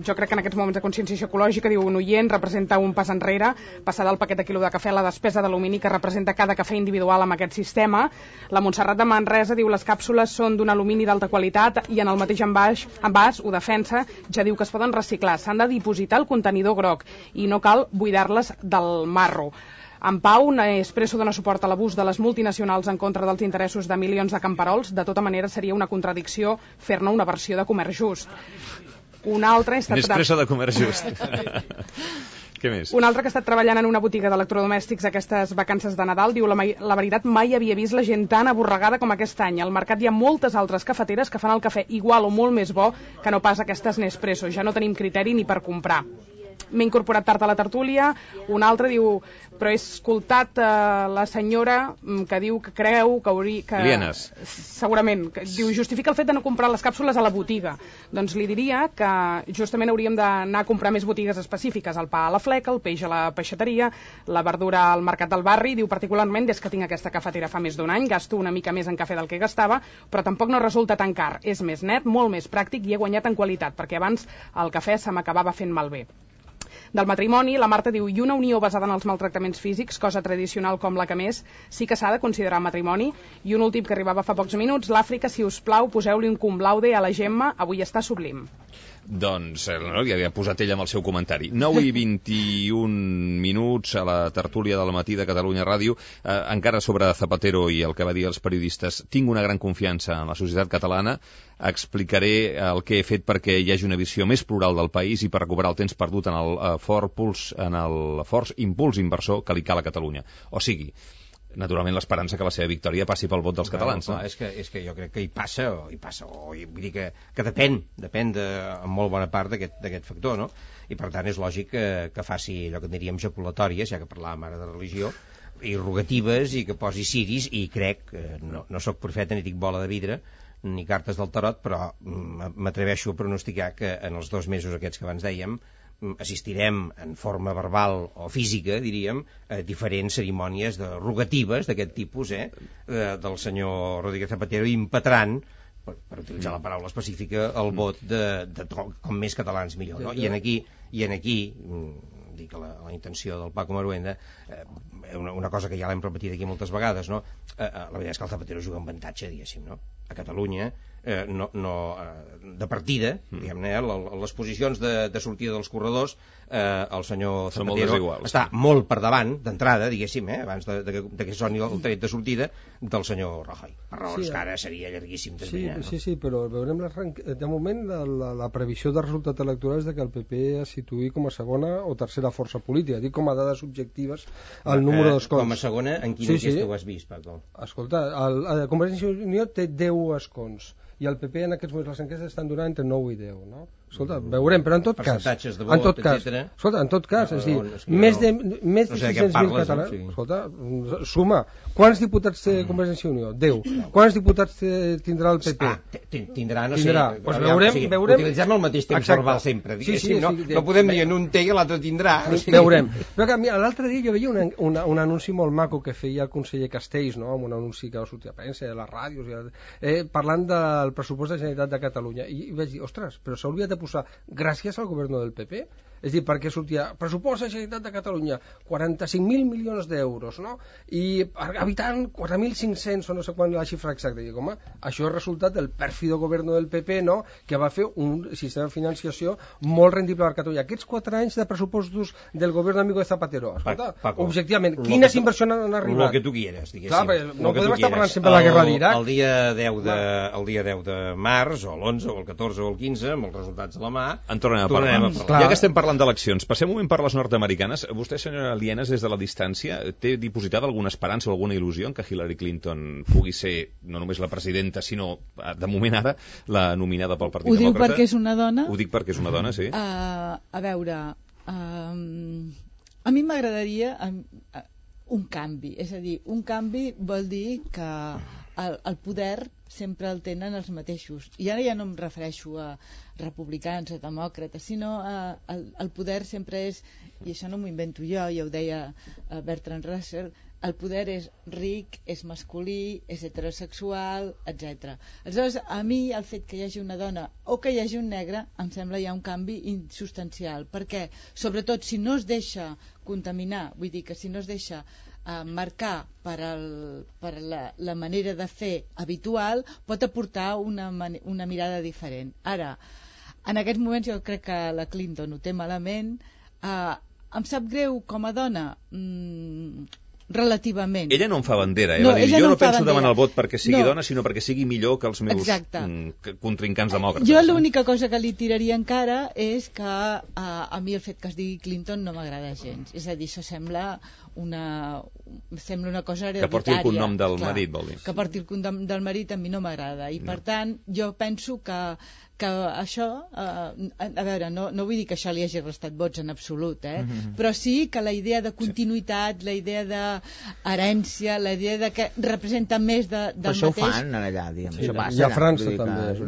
Jo crec que en aquests moments de conscienciació ecològica, diu un oient, representa un pas enrere, passar del paquet de quilo de cafè a la despesa d'alumini que representa cada cafè individual amb aquest sistema. La Montserrat de Manresa diu les càpsules són d'un alumini d'alta qualitat i en el mateix envàs ho defensa, ja diu que es poden reciclar, s'han de dipositar el contenidor groc i no cal buidar-les del marro. En Pau, Nespresso dona suport a l'abús de les multinacionals en contra dels interessos de milions de camperols. De tota manera, seria una contradicció fer-ne una versió de comerç just. Un altre... Nespresso de comerç just. Què més? Un altre que ha estat treballant en una botiga d'electrodomèstics aquestes vacances de Nadal diu la veritat, mai havia vist la gent tan aborregada com aquest any. Al mercat hi ha moltes altres cafeteres que fan el cafè igual o molt més bo que no pas aquestes Nespresso. Ja no tenim criteri ni per comprar. M'he incorporat tard a la tertúlia. Un altre diu, però he escoltat la senyora que diu que creu que hauria... Lienes. Segurament. Diu, justifica el fet de no comprar les càpsules a la botiga. Doncs li diria que justament hauríem d'anar a comprar més botigues específiques. El pa a la fleca, el peix a la peixateria, la verdura al mercat del barri. Diu, particularment, des que tinc aquesta cafetera fa més d'un any, gasto una mica més en cafè del que gastava, però tampoc no resulta tan car. És més net, molt més pràctic i he guanyat en qualitat, perquè abans el cafè se m'acabava fent malbé. Del matrimoni, la Marta diu, i una unió basada en els maltractaments físics, cosa tradicional com la que més, sí que s'ha de considerar matrimoni. I un últim que arribava fa pocs minuts, l'Àfrica, si us plau, poseu-li un cum laude a la Gemma, avui està sublim. Doncs li havia posat ell amb el seu comentari. 9 i 21 minuts a la tertúlia del matí de Catalunya Ràdio. Encara sobre Zapatero i el que va dir als periodistes, tinc una gran confiança en la societat catalana, explicaré el que he fet perquè hi hagi una visió més plural del país i per recuperar el temps perdut en el fort impuls inversor que li cal a Catalunya. O sigui, naturalment l'esperança que la seva victòria passi pel vot dels catalans. No? És que jo crec que hi passa, vull dir que depèn en molt bona part d'aquest factor, no? I per tant és lògic que faci allò que diríem jaculatòries, ja que parlàvem ara de religió, i rogatives, i que posi ciris, i crec, no sóc profeta ni dic bola de vidre, ni cartes del tarot, però m'atreveixo a pronosticar que en els 2 mesos aquests que abans dèiem assistirem en forma verbal o física, diríem, a diferents cerimònies rogatives d'aquest tipus, del senyor Rodríguez Zapatero impetrant, per utilitzar la paraula específica, el vot de com més catalans millor, no? I en aquí dic la intenció del Paco Maruenda, una cosa que ja l'hem repetit aquí moltes vegades, no? La veritat és que el Zapatero juga amb avantatge, diguéssim, no? A Catalunya, de partida, diguem-ne, les posicions de sortida dels corredors, el senyor Zapatero està molt per davant, d'entrada, diguéssim, abans de que soni el tret de sortida, del senyor Rajoy. Per raons que ara seria llarguíssim d'esbrinar. Sí, però veurem de moment la previsió de resultat electoral és que el PP es situï com a segona o tercera força política, dic com a dades objectives el número d'escons. Com a segona, en quina enquesta ho has vist, Paco? Escolta, Convergència i Unió té 10 escons i el PP en aquests moments les enquestes estan donant entre 9 i 10, no? Escolta, veurem, però en tot cas, escolta, en tot cas, és dir, més de 600.000 catalans, escolta, suma, quants diputats té Convergència i Unió? 10. Quants diputats tindrà el PP? Tindrà, no sé. Veurem. Utilitzem el mateix temps verbal sempre, diguéssim, no podem dir en un té i l'altre tindrà. Veurem. Però l'altre dia jo veia un anunci molt maco que feia el conseller Castells, no? Un anunci que va sortir a premsa, a les ràdios, parlant del pressupost de la Generalitat de Catalunya, i vaig dir, ostres, però s'hauria de posar gràcies al govern del PP, és dir, perquè sortia pressupost de la Generalitat de Catalunya 45.000 milions d'euros, no? I per habitant 4.500 o no sé quan la xifra exacta. I dic, home, això és resultat del pèrfido govern del PP, no? Que va fer un sistema de financiació molt rendible per Catalunya. Aquests 4 anys de pressupostos del govern amigo de Zapatero, escolta, objectivament, quines inversions han arribat? El que tu quieres, diguéssim. Clar, no podem estar parlant sempre de la guerra d'Iraq. El dia 10 de març, o l'11, o el 14, o el 15, amb els resultats passats a la mà, en tornem a parlar. Ja que estem parlant d'eleccions, passem un moment per les nord-americanes. Vostè, senyora Lienas, des de la distància, té dipositada alguna esperança o alguna il·lusió en que Hillary Clinton pugui ser no només la presidenta, sinó, de moment ara, la nominada pel Partit Demòcrata? Ho diu perquè és una dona? Ho dic perquè és una dona, sí. A veure, a mi m'agradaria un canvi, és a dir, un canvi vol dir que el poder sempre el tenen els mateixos, i ara ja no em refereixo a republicans o demòcrates, sinó el poder sempre és, i això no m'ho invento jo, ja ho deia Bertrand Russell, el poder és ric, és masculí, és heterosexual, etc. Aleshores, a mi el fet que hi hagi una dona o que hi hagi un negre em sembla ja un canvi insubstancial, perquè sobretot si no es deixa contaminar, vull dir que si no es deixa marcar per la manera de fer habitual, pot aportar una mirada diferent. Ara, en aquests moments jo crec que la Clinton ho té malament. Em sap greu com a dona, relativament. Ella no en fa bandera, no, jo no penso demanar el vot perquè sigui dona, sinó perquè sigui millor que els meus contrincants demòcrates. Jo l'única cosa que li tiraria encara és que a mi el fet que es digui Clinton no m'agrada gens. És a dir, això sembla una cosa hereditària. Que porti el cognom del marit, vol dir. Que porti el cognom del marit a mi no m'agrada. I per tant, jo penso que això, a veure, no vull dir que això li hagi restat vots en absolut, però sí que la idea de continuïtat, la idea d'herència, la idea de que representa més del mateix... Però això ho fan allà, diguem, això passa. I a França també.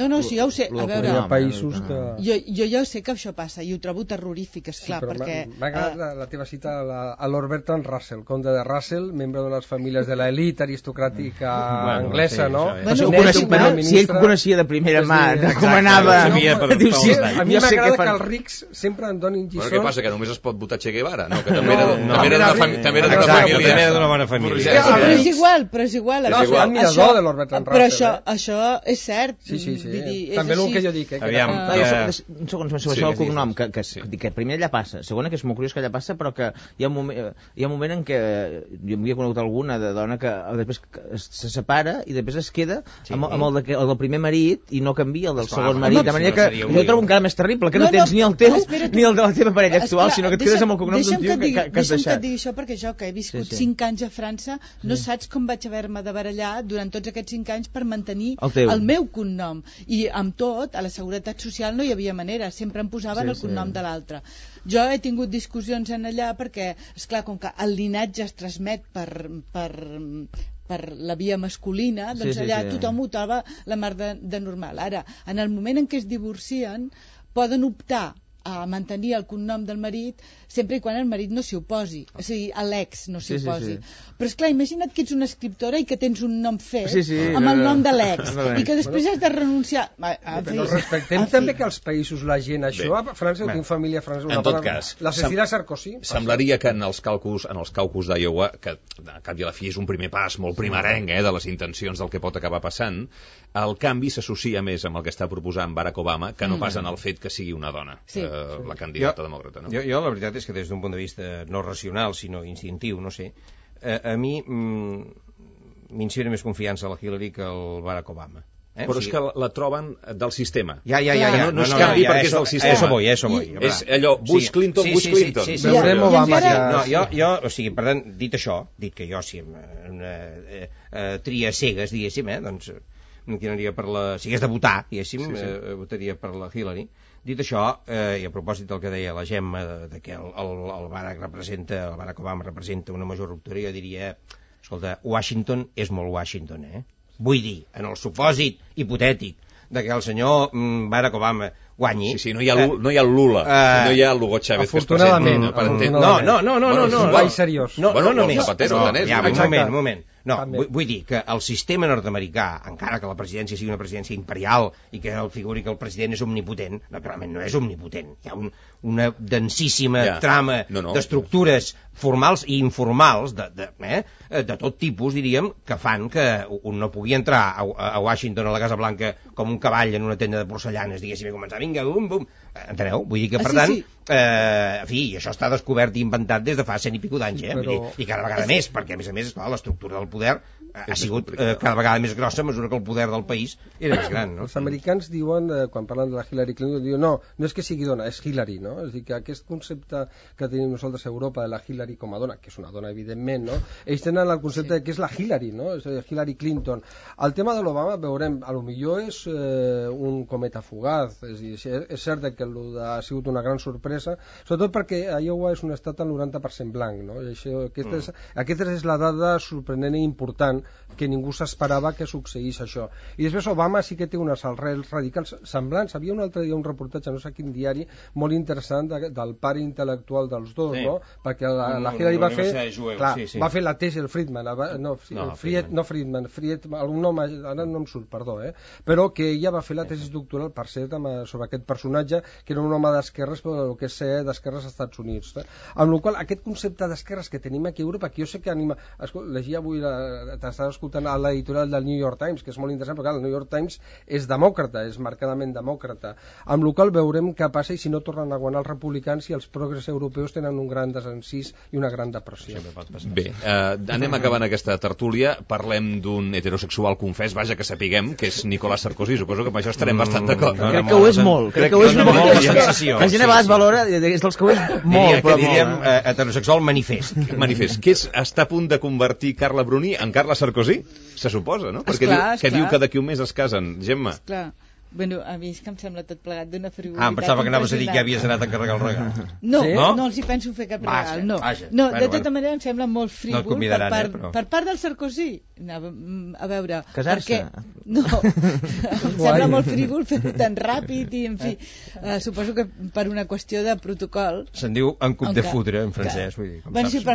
No, sí, ja ho sé. A veure, hi ha països que... Jo ja ho sé que això passa, i ho trobo terrorífic, esclar, perquè... M'ha agradat la teva cita a Lord Bertrand Russell, conde de Russell, membre de les famílies de l'elit aristocràtica anglesa, no? Si ell coneixia de primera mà com anava, a mi m'agrada que els rics sempre en donin lliçons. Però què passa, que només es pot votar Che Guevara? No, que també era d'una bona família. Però és igual. És el admirador de Lord Bertrand Russell. Però això és cert. Sí. També el que jo dic. Aviam, un segon, això el cognom, que primer allà passa, segona que és molt curiós que allà passa, però que hi ha un moment en què jo m'havia conegut alguna de dona que després se separa i després es queda amb el del primer marit i no canvia el del segon marit, de manera que jo trobo encara més terrible, que no tens ni el teu ni el de la teva parella actual, sinó que et quedes amb el cognom d'un tio que has deixat. Deixa'm que et digui això, perquè jo, que he viscut 5 anys a França, no saps com vaig haver-me de barallar durant tots aquests 5 anys per mantenir el meu cognom. I amb tot, a la Seguretat Social no hi havia manera, sempre em posaven el cognom de l'altre. Jo he tingut discussions en allà perquè, esclar, com que el linatge es transmet per la via masculina, doncs allà tothom ho troba la mar de normal. Ara, en el moment en què es divorcien, poden optar a mantenir el cognom del marit sempre i quan el marit no s'hi oposi, és a dir, l'ex no s'hi oposi. Però esclar, imagina't que ets una escriptora i que tens un nom fet amb el nom de l'ex i que després has de renunciar. Però respectem també que als països la gent això, a França tinc família francesa, en tot cas, la Cecilia Sarkozy semblaria que en els caucus d'Iowa, que a cap i a la fi és un primer pas molt primerenc de les intencions del que pot acabar passant, el canvi s'associa més amb el que està proposant Barack Obama que no pas en el fet que sigui una dona la candidata demòcrata. Jo la veritat és que des d'un punt de vista no racional sinó instintiu, no sé, a mi m'inspira més confiança la Hillary que el Barack Obama. Però és que la troben del sistema. Ja. No es canvi perquè és del sistema. Eso voy. És allò, Bush Clinton. Veurem Obama ja. Jo, o sigui, per tant, dit això, dit que jo si tria cegues, diguéssim, doncs m'inquinaria per la... Si hagués de votar, diguéssim, votaria per la Hillary. Dit això, i a propòsit del que deia la Gemma, de que el Barack Obama representa una major ruptura, jo diria, escolta, Washington és molt Washington, Vull dir, en el supòsit hipotètic de que el senyor Barack Obama guanyi... Sí, no hi ha el Lula, no hi ha el Hugo Chávez que es presenta. No. Vai seriós. Bueno, el Zapatero, un moment. No, vull dir que el sistema nord-americà, encara que la presidència sigui una presidència imperial i que el figuri que el president és omnipotent, naturalment no és omnipotent. Hi ha una densíssima trama d'estructures formals i informals de tot tipus, diríem, que fan que un no pugui entrar a Washington, a la Casa Blanca, com un cavall en una tenda de porcellanes, diguéssim, i començar, vinga, bum. Enteneu? Vull dir que, per tant, en fi, això està descobert i inventat des de fa 100 i pico d'anys, i cada vegada més, perquè, a més, esclar, l'estructura del poder ha sigut cada vegada més grossa a mesura que el poder del país era més gran, no? Els americans diuen, quan parlen de la Hillary Clinton, diuen no és que sigui dona, és Hillary, no? És a dir, que aquest concepte que tenim nosaltres a Europa de la Hillary com a dona, que és una dona evidentment, no? Ells tenen el concepte de que és la Hillary, no? És a dir, Hillary Clinton. El tema de l'Obama, veurem, a lo millor és un cometa fugaz, és a dir, és cert que ha sigut una gran sorpresa, sobretot perquè Iowa és un estat al 90% blanc, no? I aquesta és la dada sorprenent i important que ningú s'esperava que succeís això. I després Obama sí que té unes arrels radicals semblants. Havia un altre dia un reportatge, no sé quin diari, molt interessant del pare intel·lectual dels dos, no? Perquè la Hillary va fer la tesi, el Friedman, algun nom, ara no em surt, perdó, però que ella va fer la tesi doctoral, per cert, sobre aquest personatge, que era un home d'esquerres, però el que sé d'esquerres als Estats Units. Amb la qual aquest concepte d'esquerres que tenim aquí a Europa, que jo sé que llegia avui, t'estava escoltant a l'editorial del New York Times, que és molt interessant, perquè el New York Times és demòcrata, és marcadament demòcrata, amb la qual veurem què passa i si no tornen a guanyar els republicans i els progres europeus tenen un gran desencís i una gran depressió. Bé, anem acabant aquesta tertúlia, parlem d'un heterosexual confés, vaja que sapiguem, que és Nicolas Sarkozy, suposo que amb això estarem bastant d'acord. Crec que ho és molt, la gent a vegades valora, és dels que ho és molt, però diríem heterosexual manifest. Que està a punt de convertir Carla Bruni en Carla Sarkozy? Se suposa, no? Perquè diu que d'aquí un mes es casen. Gemma. Esclar. Bueno, a mi és que em sembla tot plegat d'una frivolitat. Em pensava que anaves a dir que havies anat a encarregar el regal. No, no els hi penso fer cap regal, no. De tota manera em sembla molt frívol per part del Sarkozy. A veure... Casar-se? No, em sembla molt frívol fer-ho tan ràpid i, en fi, suposo que per una qüestió de protocol... Se'n diu un coup de foudre, en francès, vull dir. Bueno, sí, però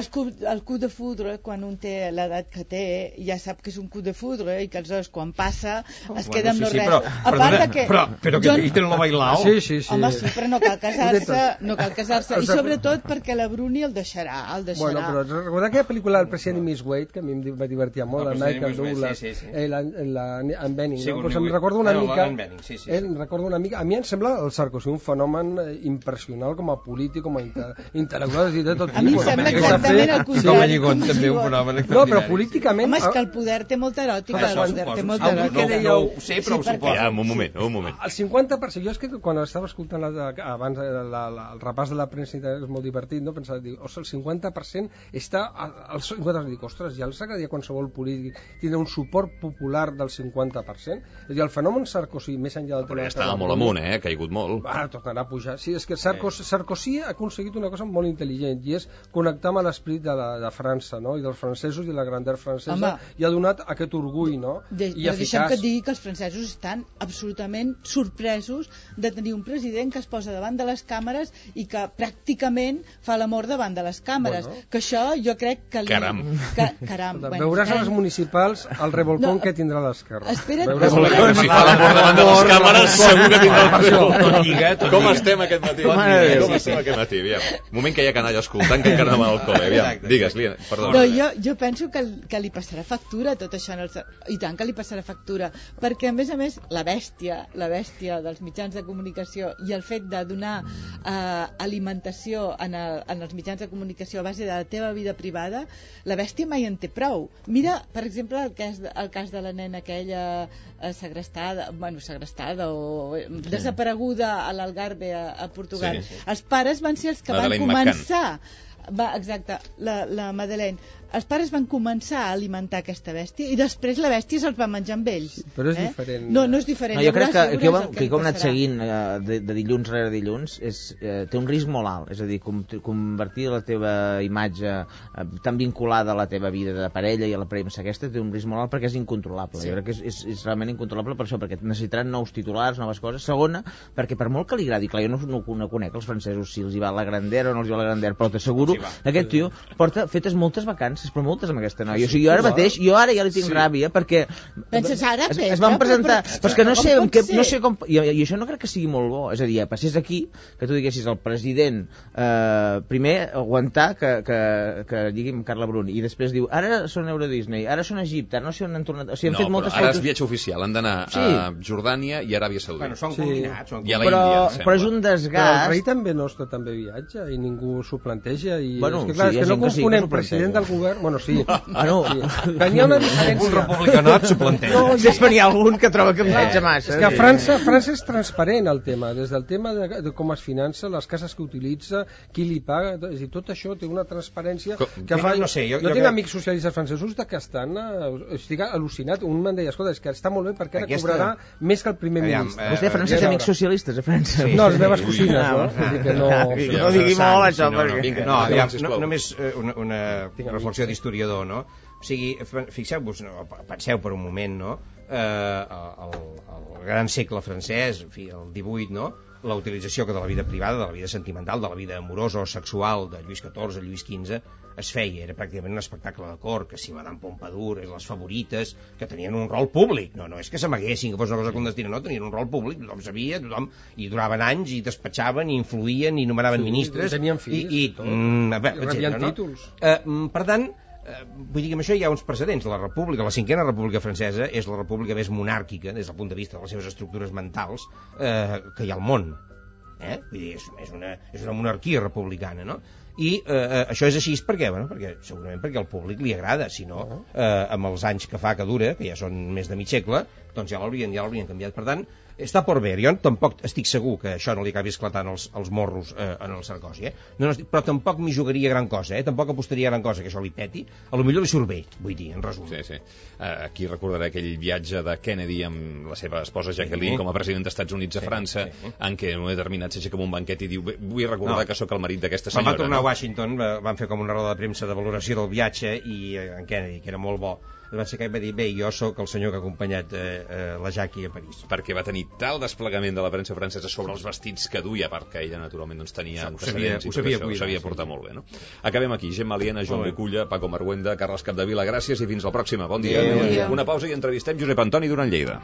el coup de foudre, quan un té l'edat que té, ja sap que és un coup de foudre i que aleshores quan passa es queda amb no res. A part però que hi tenen la bailao. Sí. Home, sí, però no cal casar-se, i sobretot perquè la Bruni el deixarà. Bueno, però recordar aquella pel·lícula del president i Miss Wade, que a mi em va divertir molt, el Michael Douglas, en Benning, no? Pues em recordo una mica, a mi em sembla el Sarkozy un fenomen impressionant com a polític, com a intel·lectual, de tot tipus. A mi em sembla exactament el contrari. Com a lligot, també un fenomen extraordinari. No, però políticament... Home, és que el poder té molta eròtica. No ho sé, però ho suposo. Un moment. El 50%, jo és que quan estava escoltant abans el repàs de la premsa és molt divertit, no? Pensava, dic, el 50% està al 50%, dic, ostres, ja els agradaria qualsevol polític tindre un suport popular del 50%. És a dir, el fenomen Sarkozy, més enllà del... Però ja estava molt amunt, ha caigut molt. Ara tornarà a pujar. Sí, és que Sarkozy ha aconseguit una cosa molt intel·ligent i és connectar amb l'esperit de França, no? I dels francesos i la grandeur francesa. I ha donat aquest orgull, no? I eficaç. Deixa'm que et digui que els francesos estan absolutament sorpresos de tenir un president que es posa davant de les càmeres i que pràcticament fa l'amor davant de les càmeres. Bueno. Que això jo crec que... Caram. Veuràs a les municipals el revolcón que tindrà l'esquerra. Espera't. Si fa l'amor davant de les càmeres segur que tindrà el com estem aquest matí? Moment que hi ha canalla escoltant que encara no va al col·le. Digues, Liana, perdona. Jo penso que li passarà factura tot això. I tant que li passarà factura. Perquè, a més, la bèstia dels mitjans de comunicació i el fet de donar alimentació en els mitjans de comunicació a base de la teva vida privada, la bèstia mai en té prou. Mira, per exemple, el cas de la nena aquella segrestada o desapareguda a l'Algarve a Portugal. Sí. Els pares van ser els que van començar... Exacte, la Madeleine. Els pares van començar a alimentar aquesta bèstia i després la bèstia se'ls va menjar amb ells. Però és diferent. No és diferent. Jo crec que com hem anat seguint de dilluns rere dilluns té un risc molt alt. És a dir, convertir la teva imatge tan vinculada a la teva vida de parella i a la premsa aquesta té un risc molt alt perquè és incontrolable. Jo crec que és realment incontrolable per això, perquè necessitaran nous titulars, noves coses. Segona, perquè per molt que li agradi, clar, jo no conec els francesos si els hi va la grandera o no els hi va la grandera, però t'asseguro que aquest tio porta fetes moltes vacances, però moltes amb aquesta noia. O sigui, jo ara ja li tinc ràbia perquè penses ara es van presentar, però és que no sé com, i això no crec que sigui molt bo. És a dir, passés aquí que tu diguessis al president primer aguantar que digui'm Carla Bruni i després diu, ara són Euro Disney, ara són Egipte, ara no sé on han tornat, o sigui, han fet moltes fotos. Ara és viatge oficial, han d'anar a Jordània i Aràbia Saudita. Bueno, són combinats. I a l'Índia, però és un desgast. El rei també no està tan bé viatge i ningú s'ho planteja i és que, clar, és que no confonem president del govern... Bueno, sí. Tenia una diferència. Un republicanot s'ho planteja. No, és per hi ha algun que troba que viatja massa. És que a França és transparent el tema, des del tema de com es finança, les cases que utilitza, qui li paga, és a dir, tot això té una transparència que fa... No sé, jo tinc amics socialistes francesos que estan... Estic al·lucinat. Un me'n deia, escolta, és que està molt bé perquè ara cobrarà més que el primer ministre. Vostè a França té amics socialistes, a França? No, les meves cosines, no? No digui molt això, perquè... No, només una reflexió d'historiador, no? O sigui, fixeu-vos, penseu per un moment, no? El gran segle francès, en fi, el 18, no? La utilització que de la vida privada, de la vida sentimental, de la vida amorosa o sexual de Lluís XIV, Lluís XV, es feia, era pràcticament un espectacle de cor, que si Madame Pompadour, les favorites, que tenien un rol públic, no és que s'amaguessin, que fos una cosa clandestina, no, tenien un rol públic, tothom sabia, i duraven anys, i despatxaven, i influïen, i nomeraven ministres, i tenien fills, i rebien títols. Per tant, vull dir que amb això hi ha uns precedents. La república, la cinquena república francesa és la república més monàrquica des del punt de vista de les seves estructures mentals que hi ha al món. Vull dir, és una monarquia republicana, no? I això és així per què? Bueno, segurament perquè al públic li agrada, si no, amb els anys que fa que dura, que ja són més de mig segle, doncs ja l'haurien canviat. Per tant, està per ver. Jo tampoc estic segur que això no li acabi esclatant els morros en el Sarkozy, però tampoc m'hi jugaria gran cosa, tampoc apostaria gran cosa que això li peti. A lo millor li surt bé, vull dir, en resum. Sí. Aquí recordaré aquell viatge de Kennedy amb la seva esposa Jacqueline com a president dels Estats Units a França, en què en un determinat s'aixeca amb un banquet i diu, vull recordar que sóc el marit d'aquesta senyora. Quan va tornar a Washington van fer com una roda de premsa de valoració del viatge i en Kennedy, que era molt bo, va ser que va dir, bé, jo sóc el senyor que ha acompanyat la Jackie a París. Perquè va tenir tal desplegament de la premsa francesa sobre els vestits que duia, perquè ella naturalment doncs, tenia antecedents i tot això, ho sabia portar molt bé, no? Acabem aquí. Gemma Aliena, Joan Riculla, Paco Marguenda, Carles Capdevila, gràcies i fins la pròxima. Bon dia. Una pausa i entrevistem Josep Antoni Duran Lleida.